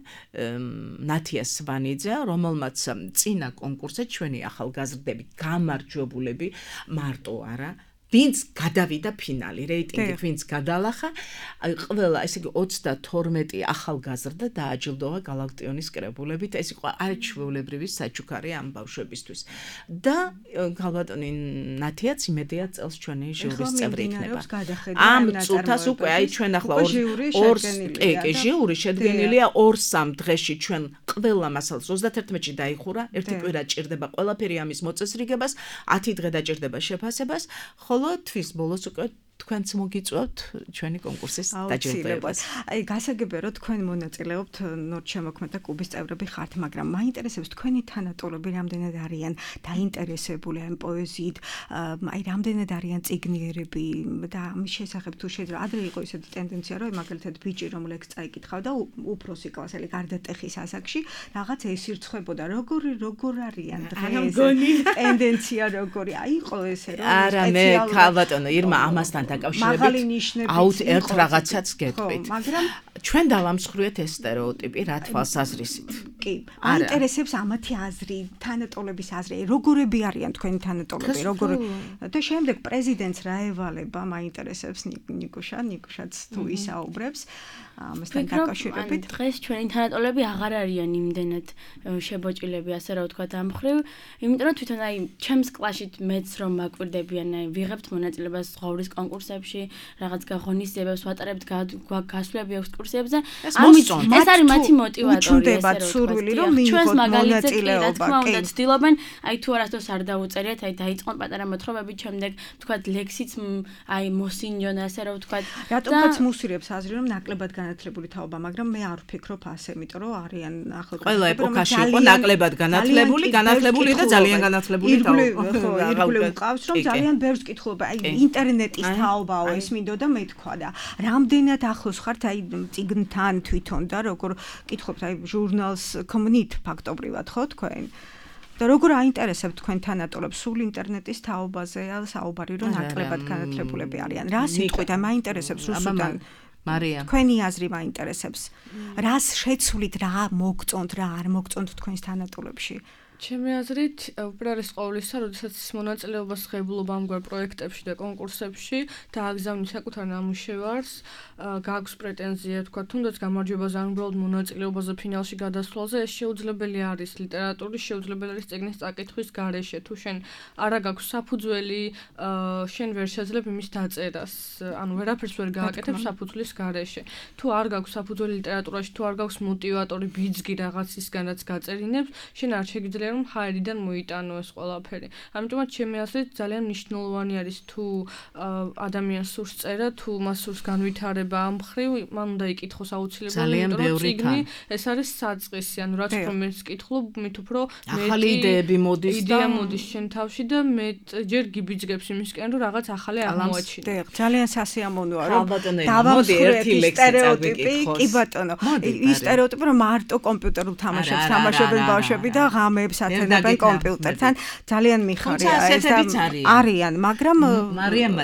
ნათია სვანიძე რომელმაც წინა კონკურსზე ჩვენი ახალგაზრდები გამარჯვებულები მარტო არა ვინც გადავიდა ფინალი რეიტინგი ვინც გადალახა ყველა ესე იგი 32 ახალგაზრდა დააჯილდოვა გალაქტიონის კრებულებით ეს იყო არჩეულებრივი საჩუქარი ამ ბავშვებისთვის და ქალბატონი ნათიაც იმედია წელს ჩვენი ჟურის წევრი იქნება ამ წუთას უკვე აი ჩვენ ახლა ჟიური შედგენილია 2-3 დღეში ჩვენ ყველა მასალას 31-ში დაიხურა ერთი კვირა ჭირდება ყველაფერი ამის მოწესრიგებას 10 დღე დაჭირდება შეფასებას თვის ბოლოს უკვე თქვენც მოგიწვევთ ჩვენი კონკურსის დაჯილდოებას. აი გასაგებია რომ თქვენ მონაწილეობთ ნორჩ შემოქმედა კლუბის წევრები ხართ, მაგრამ მაინტერესებს თქვენი თანატოლები რამდენად არიან დაინტერესებული ამ პოეზიით, აი რამდენად არიან წიგნიერები და ამის შესახებ თუ შეიძლება ადრე იყო ისეთი ტენდენცია რომ მაგალითად ბიჭი რომ ლექს წაიკითხავდა უფროსი კლასელი გარდატეხის ასაკში რაღაც ესირცხებოდა როგორ არიან დღეს ტენდენცია როგორი აი იყო ესე რომ არა მე ქალბატონო ირმა ამასთან დაკავშირებით ერთ რაღაცაც გეტყვით მაგრამ ჩვენ დავამსხვრიეთ ეს სტერეოტიპი რა თვალსაზრისით კი, აინტერესებს ამათი აზრი, თანატოლების აზრი, როგორები არიან თქვენი თანატოლები, როგორ და შემდეგ პრეზიდენტს რა ევალება, მაინტერესებს ნიკუშაც თუ ისაუბრებს ამასთან დაკავშირებით. დღეს ჩვენი თანატოლები აღარ არიან იმდენად შებოჭილები, ასე რა ვთქვათ, ამ მხრივ, იმიტომ რომ თვითონ აი ჩემს კლასშიც მეც რომ მაკვირდებიან, აი ვიღებთ მონაწილეობას ზღვაურის კონკურსებში, რაღაც გაღონისძიებებს ვატარებთ, გასვლები ექსკურსიებზე. ამით ეს არის მათი მოტივატორი, სურვილი რომ მიიღოთ მონაწილეობა. რა თქმა უნდა, ცდილობენ, აი თუ არასდროს არ დაუწერიათ, აი დაიწყონ პატარა მოთხრობები, შემდეგ ვთქვათ ლექსიც, აი მოსინჯონ, ასე რა ვთქვათ. რატომაც მუსირებს აზრი რომ ნაკლებად განათლებული თაობა, მაგრამ მე არ ვფიქრობ ასე, იმიტომ რომ არიან ახლა ყველა ეპოქაში იყო ნაკლებად განათლებული და ძალიან განათლებული თაობა. ირგვლივ მყავს რომ ძალიან ბევრს კითხულობ, აი ინტერნეტის თაობაო ეს მინდოდა მეთქვა და რამდენად ახლოს ხართ აი წიგნთან თვითონ და როგორ კითხობთ აი ჟურნალს კომუნით ფაქტობრივად ხო თქვენ და როგორ აინტერესებთ თქვენ თანატოლებს სულ ინტერნეტის თაობაზეა საუბარი რომ ნაკლებად განათლებულები არიან რა სიტყვით აი მაინტერესებს რუსუდან მარია თქვენი აზრი მაინტერესებს რას შეცვლით რა მოგწონთ რა არ მოგწონთ თქვენს თანატოლებში ჩემი აზრით უპირველეს ყოვლისა, როდესაც მონაწილეობას ღებულობ ამგვარ პროექტებში და კონკურსებში და აგზავნი საკუთარ ნამუშევარს, გააქვს პრეტენზია, თქვა, თუნდაც გამარჯვებაზე ან უბრალოდ მონაწილეობაზე ფინალში გადასვლაზე, ეს შეუძლებელი არის ლიტერატურის, შეუძლებელი არის წიგნის წაკითხვის გარეშე. თუ შენ არა გაქვს საფუძველი, შენ ვერ შეძლებ იმის დაწერას, ანუ ვერაფერს ვერ გააკეთებ საფუძვლის გარეშე. თუ არ გაქვს საფუძველი ლიტერატურაში, თუ არ გაქვს მოტივატორი ბიძგი რაღაცისგან, რაც გაწერინებს, შენ არ შეგიძლია რომ ჰაერიდან მოიტანო ეს ყველაფერი. ამიტომაც ჩემი აზრით ძალიან მნიშვნელოვანი არის თუ ადამიანს სურს წერა, თუ მას სურს განვითარება ამ მხრივ, მან უნდა იკითხოს აუცილებლად, იმიტომ რომ წიგნი ეს არის საწყისი, ანუ რაც უფრო მეც კითხულობ, მით უფრო ახალი იდეები მოდის და იდეა მოდის შენ თავში და მე ჯერ გიბიძგებს იმისკენ, რომ რაღაც ახალი აღმოაჩინე. ძალიან სასიამოვნოა, რომ დავამსხვრეთ სტერეოტიპი, კი ბატონო. ის სტერეოტიპი რომ მარტო კომპიუტერულ თამაშებს თამაშობენ ბავშვები და ღამეებს ათენებენ კომპიუტერთან ძალიან მიხარია ეს და არიან მაგრამ მარიამმა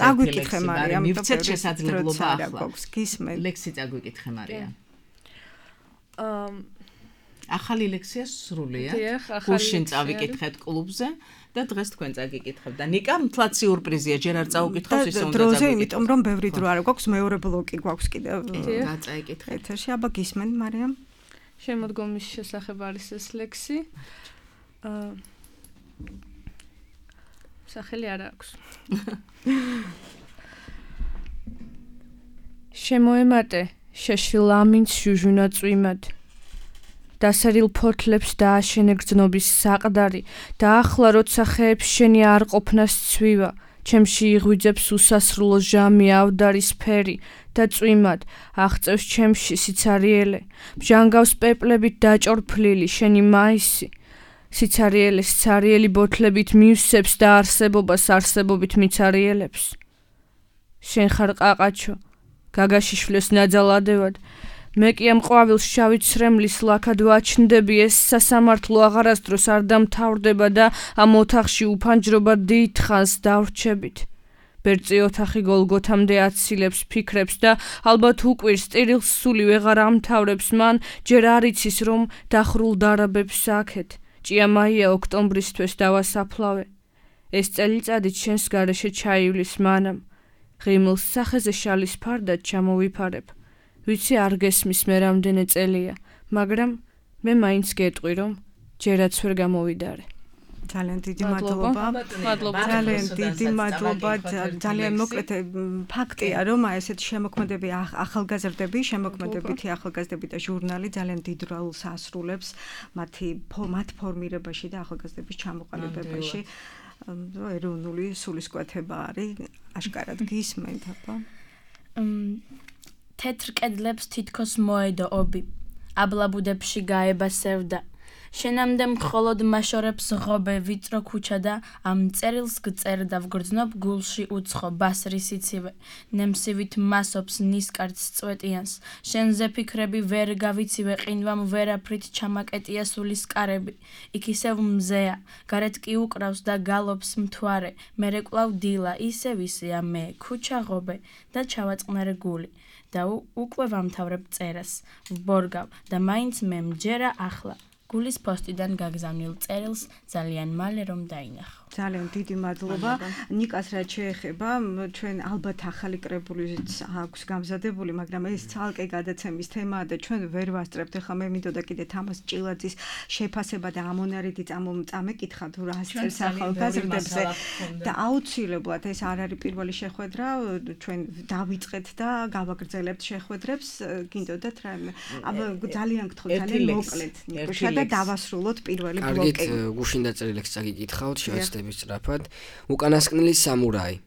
წაგვიკითხე მარიამ მივცეთ შესაძლებლობა ახლა გისმენ ლექსი წაგვიკითხე მარიამ ახალი ლექსია სრულია გუშინ წავიკითხეთ კლუბზე და დღეს თქვენ წაგიკითხებთ და ნიკა მთლად სიურპრიზია ჯერ არ წაუკითხავს ისე უნდა დროზე იმიტომ რომ ბევრი დრო არ გვაქვს მეორე ბლოკი გვაქვს კიდევ გაწაიკითხეთ ეთერში აბა გისმენ მარიამ შემოდგომის შესახებ არის ეს ლექსი. სახელი არ აქვს. შემოემატე შეშილამინც ჟუჟუნა წვიმად. დასერილ ფოთლებს დააშენე გრძნობის საყდარი და ახლა როცა ხეებს შენი არ ყოფნას ცვივა. ჩემში იღვიძებს უსასრულო ჟამი ავდარის ფერი და წვიმად აღწევს ჩემში სიცარიელე ბჟანგავს პეპლებით დაჭორფლილი შენი მაისი სიცარიელეს ცარიელი ბოთლებით მივსებს და არსებობას არსებობით მიცარიელებს შენ ხარ ყაყაჩო გაგაში შვლეს ნაძალადევად მე კი ამ ყვავილს შავი ცრემლის ლაქად ვაჩნდები ეს სასამართლო აღარასდროს არ დამთავრდება და ამ ოთახში უფანჯრობა დიდხანს დავრჩებით ბერწი ოთახი გოლგოთამდე აცილებს ფიქრებს და ალბათ უკვირს სტირილს სული ვეღარ ამთავრებს მან ჯერ არ იცის რომ დახრულ დარაბებს აქეთ ჭიამაია ოქტომბრისთვის დავასაფლავე ეს წელიწადი ჩვენს გარეშე ჩაივლის მანამ ღიმილს სახეზე შალის ფარდად ჩამოვიფარებ ვიცი არ გესმის მე რამდენი წელია, მაგრამ მე მაინც გეტყვი რომ ჯერაც ვერ გამოვიდარე. ძალიან დიდი მადლობა. ძალიან დიდი მადლობა. ძალიან მოკლედ ფაქტია რომ ესეთი შემოქმედები ახალგაზრდები, შემოქმედებითი ახალგაზრდები და ჟურნალი ძალიან დიდ როლს ასრულებს მათ ფორმირებაში და ახალგაზრდების ჩამოყალიბებაში. ეროვნული სულისკვეთება არის აშკარად გისმენთ აბა. თეთრ კედლებს თითქოს მოედო ობი აბლაბუდებში გაება სევდა შენამდე მხოლოდ მაშორებს ღობე ვიწრო ქუჩა და ამ წერილს გწერ და ვგრძნობ გულში უცხო ბასრი სიცივე ნემსივით მასობს ნისკარტს წვეტიანს შენზე ფიქრები ვერ გავიცივე ყინვამ ვერაფრით ჩამაკეტია სულის კარები იქ ისევ მზეა გარეთ კი უკრავს და გალობს მთვარე მერე კვლავ დილა ისევ ისეა მე ქუჩა ღობე და ჩავაწყნარე გული და უკვე ვამთავრებ წერას ვბორგავ და მაინც მე მჯერა ახლა გულის პოსტიდან გაგზავნილ წერილს ძალიან მალე რომ დაინახო ძალიან დიდი მადლობა ნიკას რაც შეეხება ჩვენ ალბათ ახალი კრებულიც აქვს გამზადებული მაგრამ ეს ცალკე გადაცემის თემაა და ჩვენ ვერ ვასწრებთ ახლა მე მინდოდა კიდე თამას ჭილაძის შეფასება და ამონარიდი წამეკითხა თუ რა წერს ახალგაზრდებზე და აუცილებლად ეს არ არის პირველი შეხვედრა ჩვენ დავიწყეთ და გავაგრძელებთ შეხვედრებს გინდოდათ რა აბა ძალიან გთხოვთ ძალიან მოკლედ ნიკუშა და დავასრულოთ პირველი ბლოკი კარგით გუშინ დაწერილ ლექსს წაგიკითხავთ შევეცდები სწრაფად უკანასკნელი სამურაი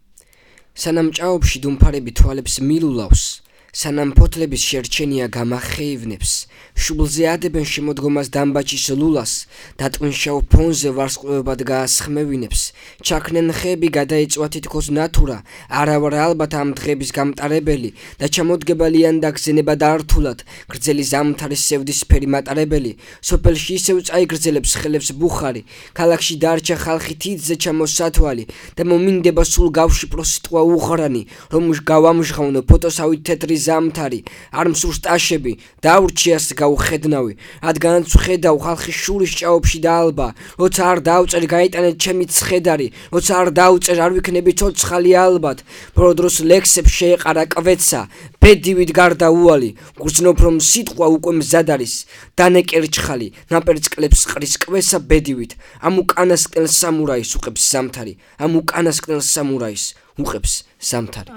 სანამ ჭაობში დუმფარები თვალებს მილულავს სანამ ფოთლების შერჩენია გამახეივნებს შუბლზე ადებენ შემოდგომას დამბაჭის ლულას დატვინშავ ფონზე ვარსკვლავებად გაასხმევინებს ჩაქნენ ხეები გადაეწვა თითქოს ნათურა არა ვარ ალბათ ამ დღების გამტარებელი და ჩამოდგებალიან და გზენება დართულად გრძელი ზამთრის სევდისფერი მატარებელი სოფელში ისევ წაიგრძელებს ხელებს ბუხარი ქალაქში დარჩა ხალხი თითზე ჩამოსათვალი და მომინდება სულ გავშიპრო სიტყვა უღრანი რომ გავამჟღავნო ფოტოსავით თეთრი ზამთარი არ მსურს ტაშები დაურჩიას გავხედნავი რადგანაც ვხედავ ხალხის შურის ჭაობში და ალბა როცა არ დავწერ გაიტანეთ ჩემი ცხედარი როცა არ დავწერ არ ვიქნები ცოცხალი ალბათ პროდროს ლექსებს შეეყარა კვეცა ბედივით გარდაუვალი გრძნობ რომ სიტყვა უკვე მზად არის დანეკერჩხალი ნაპერწკლებს ყრის კვესა ბედივით ამ უკანასკნელ სამურაის უყებს ზამთარი ამ უკანასკნელ სამურაის უყებს ზამთარი.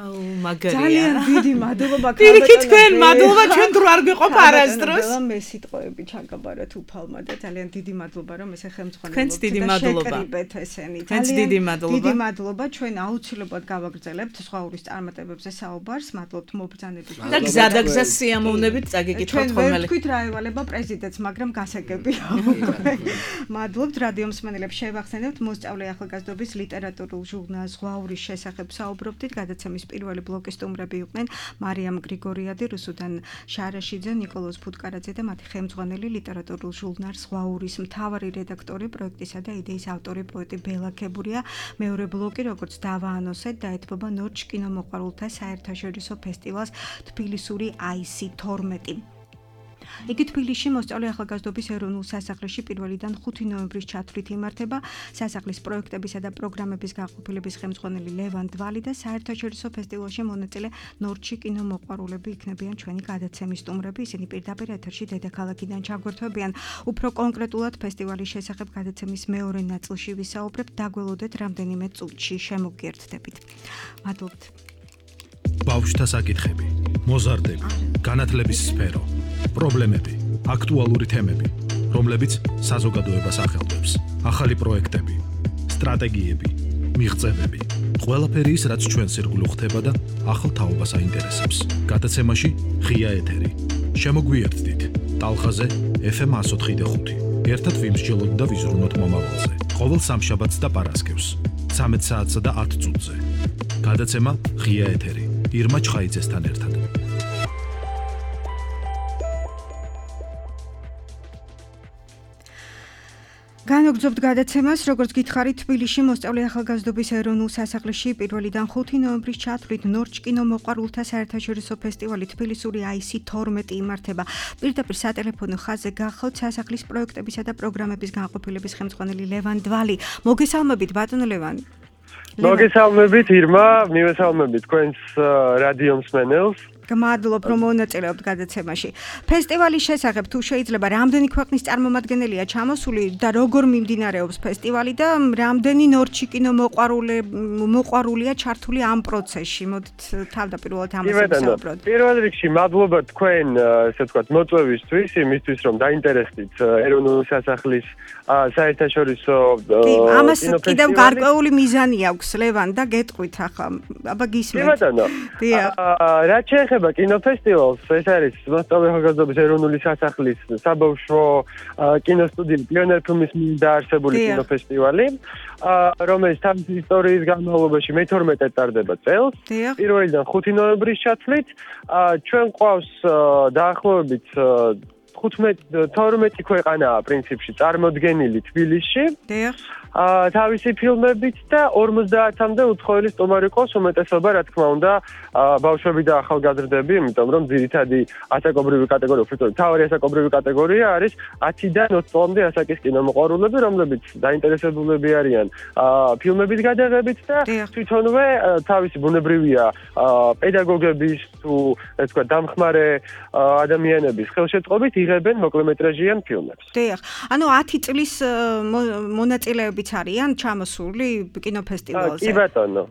ძალიან დიდი მადლობა პირიქით თქვენ მადლობა ჩვენ დრო არ გვიყოფ არასდროს. მე სიტყვები ჩაგაბარეთ უფალმა და ძალიან დიდი მადლობა რომ ესე ხელმძღვანელობთ. თქვენც დიდი მადლობა. თქვენც დიდი მადლობა. დიდი მადლობა ჩვენ აუცილებლად გავაგრძელებთ სხვა ურის წარმატებებზე საუბარს. მადლობთ მობრძანებით. და გზადაგზა სიამოვნებით წაგიკითხოთ ხოლმე. ჩვენ ვთქვით რა ევალება პრეზიდენტს, მაგრამ გასაგებია. მადლობთ რადიო მსმენელებს შევახსენებთ მოსწავლე ახალგაზრდობის ლიტერატურულ ჟურნალ სხვა ურის შესახებ საუბრობდით. გადაცემის პირველი ბლოკის სტუმრები იყვნენ მარიამ გრიგორიადი, რუსუდან შარაშიძე, ნიკოლოზ ფუტკარაძე და მათი ხელმძღვანელი ლიტერატურულ ჟურნალ სხვა ურის მთავარი რედაქტორი, პროექტისა და იდეის ავტორი პოეტი ბელა ქებურია. მეორე ბლოკი, როგორც დავაანონსეთ, დაეთმობა ნორჩ კინომოყვარულთა საერთაშორისო ფესტივალს თბილისური IC12. იგი თბილისში მოსწავლე ახალგაზრდობის ეროვნულ სასახლეში 1-დან 5 ნოემბრის ჩათვლით იმართება. სასახლის პროექტებისა და პროგრამების გაყოფილების ხელმძღვანელი ლევან დვალი და საერთაშორისო ფესტივალში მონაწილე ნორჩი კინომოყვარულები იქნებიან ჩვენი გადაცემის სტუმრები. ისინი პირდაპირ ეთერში დედაქალაქიდან ჩაგვერთვებიან. უფრო კონკრეტულად ფესტივალის შესახებ გადაცემის მეორე ნაწილში ვისაუბრებთ. დაგველოდეთ რამდენიმე წუთში შემოგიერთდებით. მადლობთ. ბავშვთა საკითხები, მოზარდები, განათლების სფერო, პრობლემები, აქტუალური თემები, რომლებიც საზოგადოებას ახელვებს, ახალი პროექტები, სტრატეგიები, მიღწევები, ყველაფერი ის, რაც ჩვენს ირგვლივ ხდება და ახალ თაობას აინტერესებს. გადაცემაში ღია ეთერი. შემოგვიერთდით ტალღაზე FM 104.5. ერთად ვიმსჯელოთ და ვიზრუნოთ მომავალზე. ყოველ სამშაბათს და პარასკევს 13 საათსა და 10 წუთზე. გადაცემა ღია ეთერი. ირმა ჩხაიძესთან ერთად. განვაგრძობთ გადაცემას, როგორც გითხარით, თბილისში მოსწავლე ახალგაზრდობის ეროვნულ სასახლეში 1-დან 5 ნოემბრის ჩათვლით ნორჩ კინომოყვარულთა საერთაშორისო ფესტივალი თბილისური IC12 იმართება. პირდაპირ სატელეფონო ხაზზე გახავთ სასახლის პროექტებისა და პროგრამების განყოფილების ხელმძღვანელი ლევან დვალი. მოგესალმებით, ბატონო ლევან. მოგესალმებით, ირმა, მივესალმებით თქვენს რადიო მსმენელს. გმადლობ რომ მონაწილეობთ გადაცემაში. ფესტივალის შესახებ თუ შეიძლება რამდენი ქვეყნის წარმომადგენელია ჩამოსული და როგორ მიმდინარეობს ფესტივალი და რამდენი ნორჩი კინომოყვარულია ჩართული ამ პროცესში? მოდით თავდაპირველად ამაზე ვისაუბროთ. პირველ რიგში მადლობა თქვენ, ესე ვთქვათ, მოწვევისთვის, იმისთვის რომ დაინტერესდით ეროვნული სასახლის საერთაშორისო ამას კიდევ გარკვეული მიზანი აქვს ლევან და გეტყვით ახლა. აბა გისმენთ. რა ეხება კინოფესტივალს, ეს არის მოსწავლე ახალგაზრდობის ეროვნული სასახლის საბავშვო კინოსტუდიის პიონერ ფილმის დაარსებული კინოფესტივალი, რომელიც თავისი ისტორიის განმავლობაში მე-12 ტარდება წელს. პირველიდან 5 ნოემბრის ჩათვლით, ჩვენ ყავს დაახლოებით 12 ქვეყანაა პრინციპში წარმოდგენილი თბილისში. თავისი ფილმებით და 50-მდე უცხოელი სტუმარი ყავს, უმეტესობა რა თქმა უნდა ბავშვები და ახალგაზრდები, იმიტომ რომ ძირითადი ასაკობრივი კატეგორია, უბრალოდ თავი ასაკობრივი კატეგორია არის 10-დან 20 წლამდე ასაკის კინომოყვარულები, რომლებიც დაინტერესებულები არიან ფილმების გადაღებით და თვითონვე თავისი ბუნებრივია პედაგოგების თუ ეს თქვა დამხმარე ადამიანების ხელშეწყობით იღებენ მოკლემეტრაჟიან ფილმებს. დიახ. ანუ 10 წლის მონაწილეები არიან ჩამოსული კინოფესტივალზე. კი ბატონო.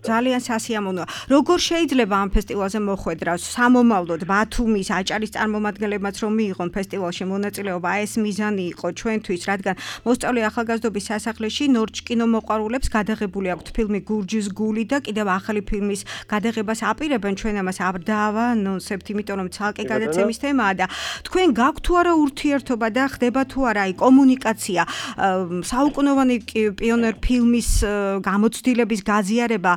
ძალიან სასიამოვნოა. როგორ შეიძლება ამ ფესტივალზე მოხვედრა? სამომავლოდ ბათუმის აჭარის წარმომადგენლებმაც რომ მიიღონ ფესტივალში მონაწილეობა, ეს მიზანი იყო ჩვენთვის, რადგან მოსწავლე ახალგაზრდობის სასახლეში ნორჩ კინომოყვარულებს გადაღებული აქვთ ფილმი გურჯის გული და კიდევ ახალი ფილმის გადაღებას აპირებენ, ჩვენ ამას არ დავანონსებთ, იმიტომ რომ ცალკე გადაცემის თემაა და თქვენ გაქვთ თუ არა ურთიერთობა და ხდება თუ არა აი კომუნიკაცია საუკუნოვანი პიონერ ფილმის გამოცდილების გაზიარება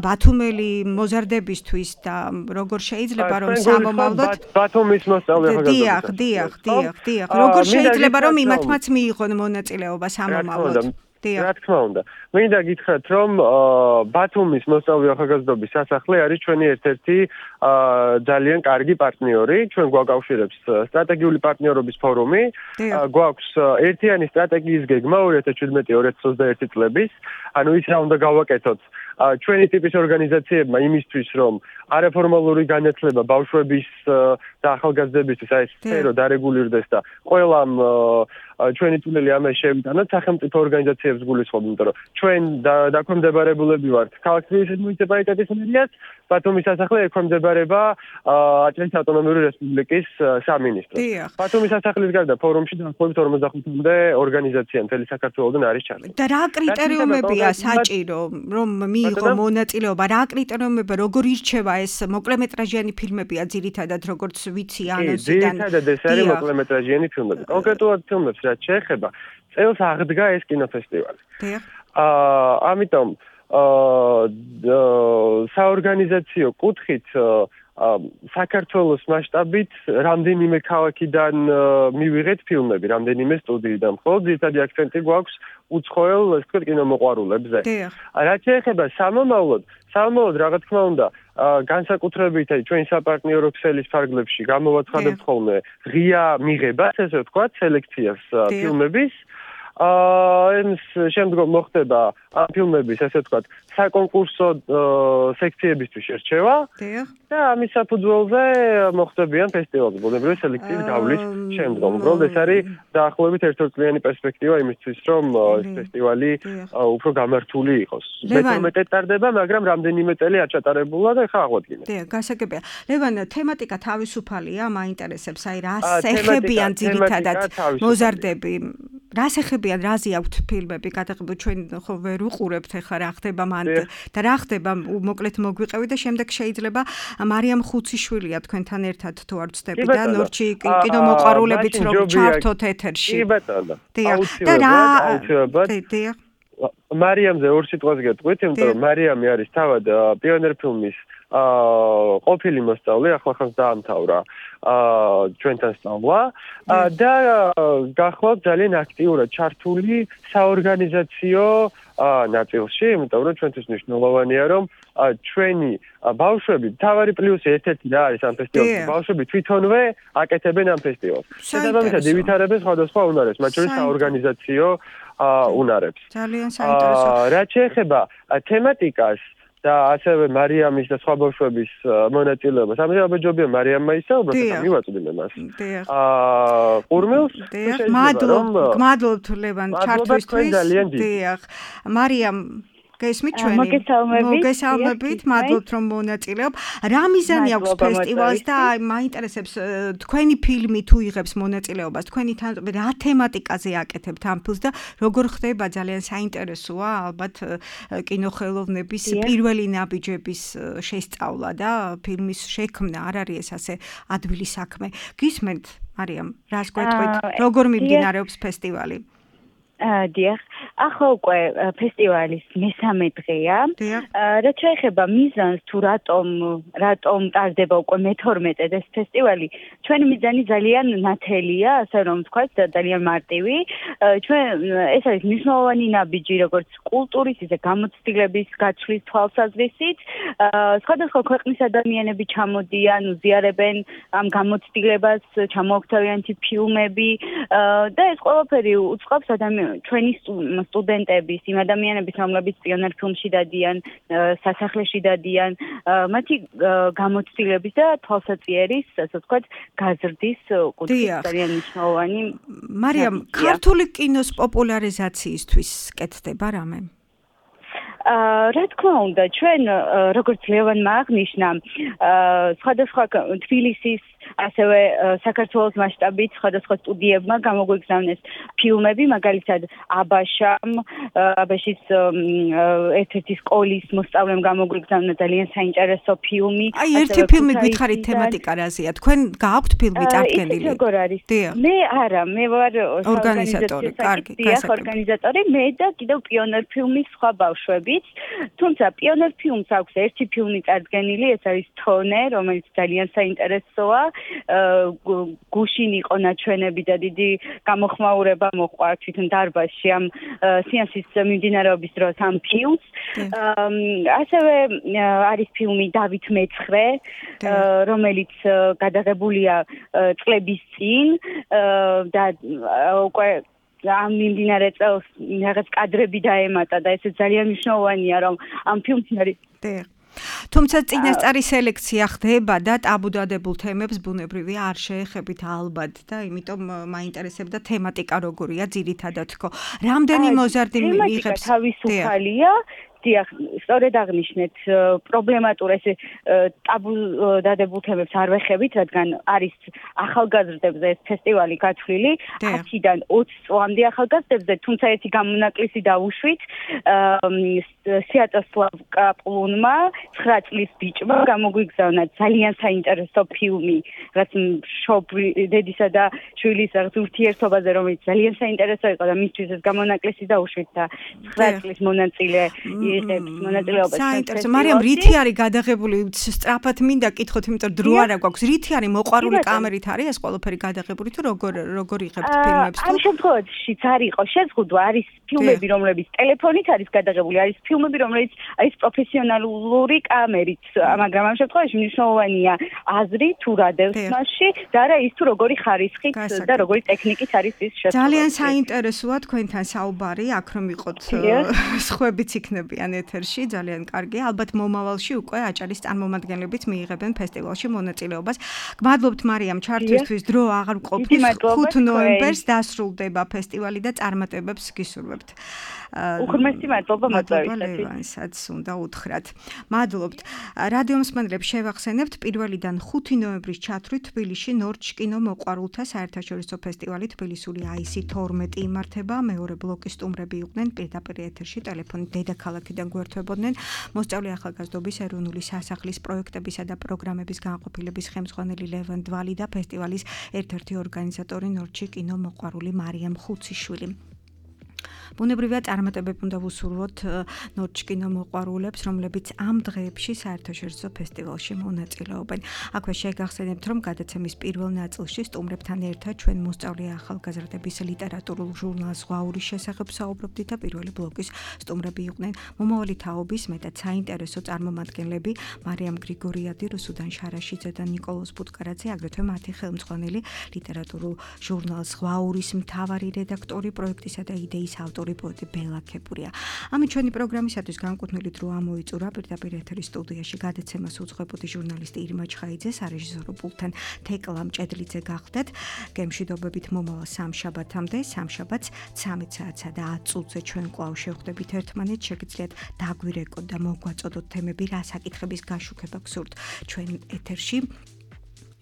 ბათუმელი მოზარდებისთვის და როგორ შეიძლება რომ სამომავლოდ ბათუმის მოსწავლე ახალგაზრდობისთვის დიახ როგორ შეიძლება რომ იმათმაც მიიღონ მონაწილეობა სამომავლოდ რა თქმა უნდა. მინდა გითხრათ, რომ ბათუმის მოსწავლე ახალგაზრდობის სასახლე არის ჩვენი ერთ-ერთი ძალიან კარგი პარტნიორი. ჩვენ გვაკავშირებს სტრატეგიული პარტნიორობის ფორუმი. გვაქვს ერთიანი სტრატეგიის გეგმა 2017-2021 წლების. ანუ ის რა უნდა გავაკეთოთ ჩვენი ტიპის ორგანიზაციებმა იმისთვის, რომ არაფორმალური განათლება ბავშვების და ახალგაზრდებისთვის აი სფერო დარეგულირდეს და ყველამ ჩვენი წვლილი ამას შევიტანოთ სახელმწიფო ორგანიზაციებს გულისხმობ, იმიტომ რომ ჩვენ დაქვემდებარებულები ვართ ქალაქის თბილისის მუნიციპალიტეტის მერიას, ბათუმის სასახლე ექვემდებარება აჭარის ავტონომიური რესპუბლიკის სამინისტროს. ბათუმის სასახლის გარდა ფორუმში დაახლოებით 45-მდე ორგანიზაცია მთელი საქართველოდან არის ჩართული. და რა კრიტერიუმებია საჭირო, რომ მიიღო მონაწილეობა? რა კრიტერიუმებია, როგორ ირჩევა ეს მოკლემეტრაჟიანი ფილმებია ძირითადად, როგორც ვიცი ანონსიდან? ძირითადად ეს არის მოკლემეტრაჟიანი ფილმები. კონკრეტულად ფილმებს რაც შეეხება, წელს აღდგა ეს კინოფესტივალი. ამიტომ საორგანიზაციო კუთხით საქართველოს მასშტაბით რამდენიმე ქალაქიდან მივიღეთ ფილმები, რამდენიმე სტუდიიდან. მხოლოდ ძირითადი აქცენტი გვაქვს უცხოელ ეს თქვა კინომოყვარულებზე. რაც შეეხება სამომავლოდ რა თქმა უნდა განსაკუთრებით ჩვენი საპარტნიორო ქსელის ფარგლებში გამოვაცხადებთ ხოლმე ღია მიღებას, ესე ვთქვათ, სელექციას ფილმების. შემდგომ მოხდება ამ ფილმების, ესე ვთქვათ, საკონკურსო სექციებისთვის შერჩევა და ამის საფუძველზე მოხდებიან ფესტივალზე ბუნებრივი სელექციის გავლის შემდგომ. უბრალოდ ეს არის დაახლოებით ერთწლიანი პერსპექტივა იმისთვის, რომ ეს ფესტივალი უფრო გამართული იყოს. მე-12 ტარდება, მაგრამ რამდენიმე წელი არ ჩატარებულა და ხა აღვადგინეთ. გასაგებია. ლევან, თემატიკა თავისუფალია, მაინტერესებს, აი რას ეხებიან ძირითადად მოზარდები? რას ეხებიან, რაზე აქვთ ფილმები გადაღებული? ჩვენ ხო ვერ უყურებთ ახლა რა ხდება მან და რა ხდება, მოკლედ მოგვიყევი და შემდეგ შეიძლება მარიამ ხუციშვილია თქვენთან ერთად თუ არ ვცდები და ნორჩი კინომოყვარულებიც რომ ჩართოთ ეთერში. კი ბატონო. აუცილებლად. მარიამზე ორ სიტყვას გეტყვით, იმიტომ რომ მარიამი არის თავად პიონერ ფილმის ყოფილი მოსწავლე, ახლა ხანს დაამთავრა ჩვენთან სწავლა და გახლავთ ძალიან აქტიურად ჩართული საორგანიზაციო ნაწილში, იმიტომ რომ ჩვენთვის მნიშვნელოვანია, რომ ჩვენი ბავშვები, თავარი პლუსი ერთ-ერთი რა არის ამ ფესტივალში, ბავშვები თვითონვე აკეთებენ ამ ფესტივალს. შესაბამისად ივითარებენ სხვადასხვა უნარებს, მათ შორის საორგანიზაციო უნარებს. ძალიან საინტერესო. რაც შეეხება თემატიკას და ასევე მარიამის და სხვა ბავშვების მონაწილეობას. ამაზე აბეჯობია მარიამმა ისაუბროს, და მივაწვდიმე მას. ყურმილს? მადლობთ ლევან ჩართვისთვის. მარიამ გესმით ჩვენი? მოგესალმებით, მადლობთ რომ მონაწილეობ. რა მიზანი აქვს ფესტივალს და მაინტერესებს თქვენი ფილმი თუ იღებს მონაწილეობას, თქვენი თანხმობა რა თემატიკაზე აკეთებთ ამ ფილმს და როგორ ხდება ძალიან საინტერესოა ალბათ კინოხელოვნების პირველი ნაბიჯების შესწავლა და ფილმის შექმნა არ არის ეს ასე ადვილი საქმე. გისმენთ, მარიამ, რას გვეტყვით? როგორ მიმდინარეობს ფესტივალი? დიახ, ახლა უკვე ფესტივალის მესამე დღეა. რაც შეეხება მიზანს თუ რატომ ტარდება უკვე მე-12 ეს ფესტივალი, ჩვენი მიზანი ძალიან ნათელია, ასე რომ ვთქვათ, ძალიან მარტივი. ჩვენ ეს არის მნიშვნელოვანი ნაბიჯი როგორც კულტურის, ისე გამოცდილების გაცვლის თვალსაზრისით. სხვადასხვა ქვეყნის ადამიანები ჩამოდიან, უზიარებენ ამ გამოცდილებას, ჩამოაქვთ ფილმები და ეს ყველაფერი უწყობს ჩვენი სტუდენტების, იმ ადამიანების, რომლებიც პიონერ ფილმში დადიან, სასახლეში დადიან, მათი გამოცდილების და თვალსაწიერის, ასე ვთქვათ, გაზრდის კუთხით ძალიან მნიშვნელოვანი. მარიამ, ქართული კინოს პოპულარიზაციისთვის კეთდება რამე? რა თქმა უნდა, ჩვენ როგორც ლევანმა აღნიშნა, სხვადასხვა თბილისის ასევე საქართველოს მასშტაბით სხვადასხვა სტუდიებმა გამოგვიგზავნეს ფილმები, მაგალითად აბაშის ერთ-ერთი სკოლის მოსწავლემ გამოგვიგზავნა ძალიან საინტერესო ფილმი. აი, ერთი ფილმი გითხარით თემატიკა რაზეა? თქვენ გააქვთ ფილმი წარდგენილი? როგორ არის? მე არა, მე ვარ ორგანიზატორი, კარგი, ორგანიზატორი, მე და კიდევ პიონერ ფილმის სხვა ბავშვებიც. თუმცა პიონერ ფილმს აქვს ერთი ფილმი წარდგენილი, ეს არის თონე, რომელიც ძალიან საინტერესოა. გუშინ იყო ნაჩვენები და დიდი გამოხმაურება მოყვა თვითონ დარბაზში ამ სეანსის მიმდინარეობის დროს ამ ფილმს. ასევე არის ფილმი დავით მეცხრე, რომელიც გადაღებულია წლების წინ და უკვე ამ მიმდინარე წელს რაღაც კადრები დაემატა და ეს ძალიან მნიშვნელოვანია რომ ამ ფილმში არის თუმცა წინასწარი სელექცია ხდება და ტაბუდადებულ თემებს ბუნებრივია არ შეეხებით ალბათ და იმიტომ მაინტერესებდა თემატიკა როგორია ძირითადად თქო. რამდენი მოზარდი მიიღებს? თავისუფალია. დიახ, სწორედ აღნიშნეთ, პრობლემატურ ეს ტაბუდადებულ თემებს არ ვეხებით, რადგან არის ახალგაზრდებზე ეს ფესტივალი გათვლილი, 10-დან 20 წლამდე ახალგაზრდებზე, თუმცა ერთი გამონაკლისი დავუშვით, სიატოსლავ კაპლუნმა 9 წლის ბიჭმა გამოგვიგზავნა ძალიან საინტერესო ფილმი, რაც დედისა და შვილის ურთიერთობაზე, რომელიც ძალიან საინტერესო იყო და მისთვის ეს გამონაკლისი დავუშვით და 9 წლის მონაწილე მონაწილეობას. საინტერესო. მარიამ, რითი არის გადაღებული? სწრაფად მინდა კითხოთ, იმიტომ დრო არა გვაქვს. რითი არის მოყვარული კამერით არის ეს ყველაფერი გადაღებული თუ როგორ იღებთ ფილმებს? ამ შემთხვევაშიც არ იყო შეზღუდვა, არის ფილმები, რომლებიც ტელეფონით არის გადაღებული, არის ფილმები, რომლებიც არის პროფესიონალური კამერით, მაგრამ ამ შემთხვევაში მნიშვნელოვანია აზრი თუ რა დევს მასში და არა ის თუ როგორი ხარისხით და როგორი ტექნიკით არის ის შესრულებული. ძალიან საინტერესოა თქვენთან საუბარი, აქ რომ იყოთ სხვებიც იქნებიან ეთერში, ძალიან კარგი. ალბათ მომავალში უკვე აჭარის წარმომადგენლებიც მიიღებენ ფესტივალში მონაწილეობას. გმადლობთ მარიამ ჩართვისთვის, დრო აღარ მყოფის. 5 ნოემბერს დასრულდება ფესტივალი და წარმატებებს გისურვებთ. უღრმესი მადლობა მოწვევისათვის უნდა უთხრათ. მადლობთ. რადიო მსმენელებს შევახსენებთ 1-დან 5 ნოემბრის ჩათვლით თბილისში ნორჩ კინო მოყვარულთა საერთაშორისო ფესტივალი თბილისური აისი 12 იმართება. მეორე ბლოკის სტუმრები იყვნენ პირდაპირ ეთერში ტელეფონით დედაქალაქიდან გვერდებოდნენ. მოსწავლე ახალგაზრდობის ეროვნული სასახლის პროექტებისა და პროგრამების განყოფილების ხელმძღვანელი ლევან დვალი და ფესტივალის ერთ-ერთი ორგანიზატორი ნორჩი კინო მოყვარული მარიამ ხუციშვილი. ბუნებრივია წარმატებები უნდა ვუსურვოთ ნორჩ კინო მოყვარულებს, რომლებიც ამ დღეებში საერთაშორისო ფესტივალში მონაწილეობენ. აქვე შეგახსენებთ, რომ გადაცემის პირველ ნაწილში სტუმრებთან ერთად ჩვენ მოსწავლე ახალგაზრდების ლიტერატურულ ჟურნალ ზღვაურის შესახებ საუბრობდით და პირველი ბლოკის სტუმრები იყვნენ მომავალი თაობის მეტად საინტერესო წარმომადგენლები მარიამ გრიგორიადი, რუსუდან შარაშიძე და ნიკოლოზ ბუტკარაძე, აგრეთვე მათი ხელმძღვანელი ლიტერატურულ ჟურნალ ზღვაურის მთავარი რედაქტორი, პროექტისა და იდეის ავტორი ავტორი პოეტი ბელა ქეპურია. ამით ჩვენი პროგრამისათვის განკუთვნილი დრო ამოიწურა პირდაპირ ეთერის სტუდიაში გადაცემას უძღვებოდი ჟურნალისტი ირმა ჩხაიძე, სარეჟისორო პულტთან თეკლა მჭედლიძე გახდათ. გემშვიდობებით მომავალ სამშაბათამდე, სამშაბათს 13 საათსა და 10 წუთზე ჩვენ კვლავ შევხვდებით ერთმანეთს. შეგიძლიათ დაგვირეკოთ და მოგვაწოდოთ თემები, რა საკითხების გაშუქება გსურთ ჩვენ ეთერში.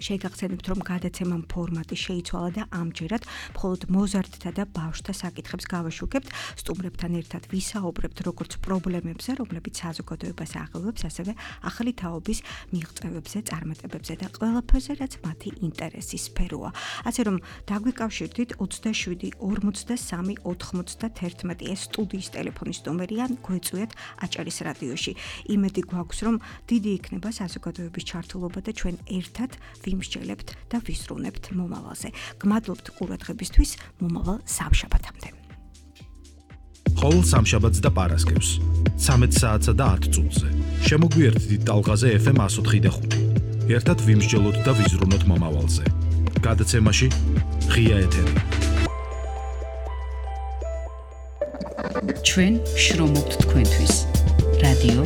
შეგახსენებთ, რომ გადაცემამ ფორმატი შეიცვალა და ამჯერად მხოლოდ მოზარდთა და ბავშვთა საკითხებს გავაშუქებთ. სტუმრებთან ერთად ვისაუბრებთ როგორც პრობლემებზე, რომლებიც საზოგადოებას აღელვებს, ასევე ახალი თაობის მიღწევებზე, წარმატებებზე და ყველაფერზე, რაც მათი ინტერესის სფეროა. ასე რომ დაგვიკავშირდით 27 43 91 ეს სტუდიის ტელეფონის ნომერია, გვეწვიათ აჭარის რადიოში. იმედი გვაქვს, რომ დიდი იქნება საზოგადოების ჩართულობა და ჩვენ ერთად ვიმსჯელებთ და ვიზრუნებთ მომავალზე. გმადლობთ ყურადღებისთვის, მომავალ სამშაბათამდე. ყოველ სამშაბათს და პარასკევს 13 საათსა და 10 წუთზე. შემოგვიერთდით ტალღაზე FM 104.5. ერთად ვიმსჯელოთ და ვიზრუნოთ მომავალზე. გადაცემაში ღია ეთერი. ჩვენ შრომობთ თქვენთვის. რადიო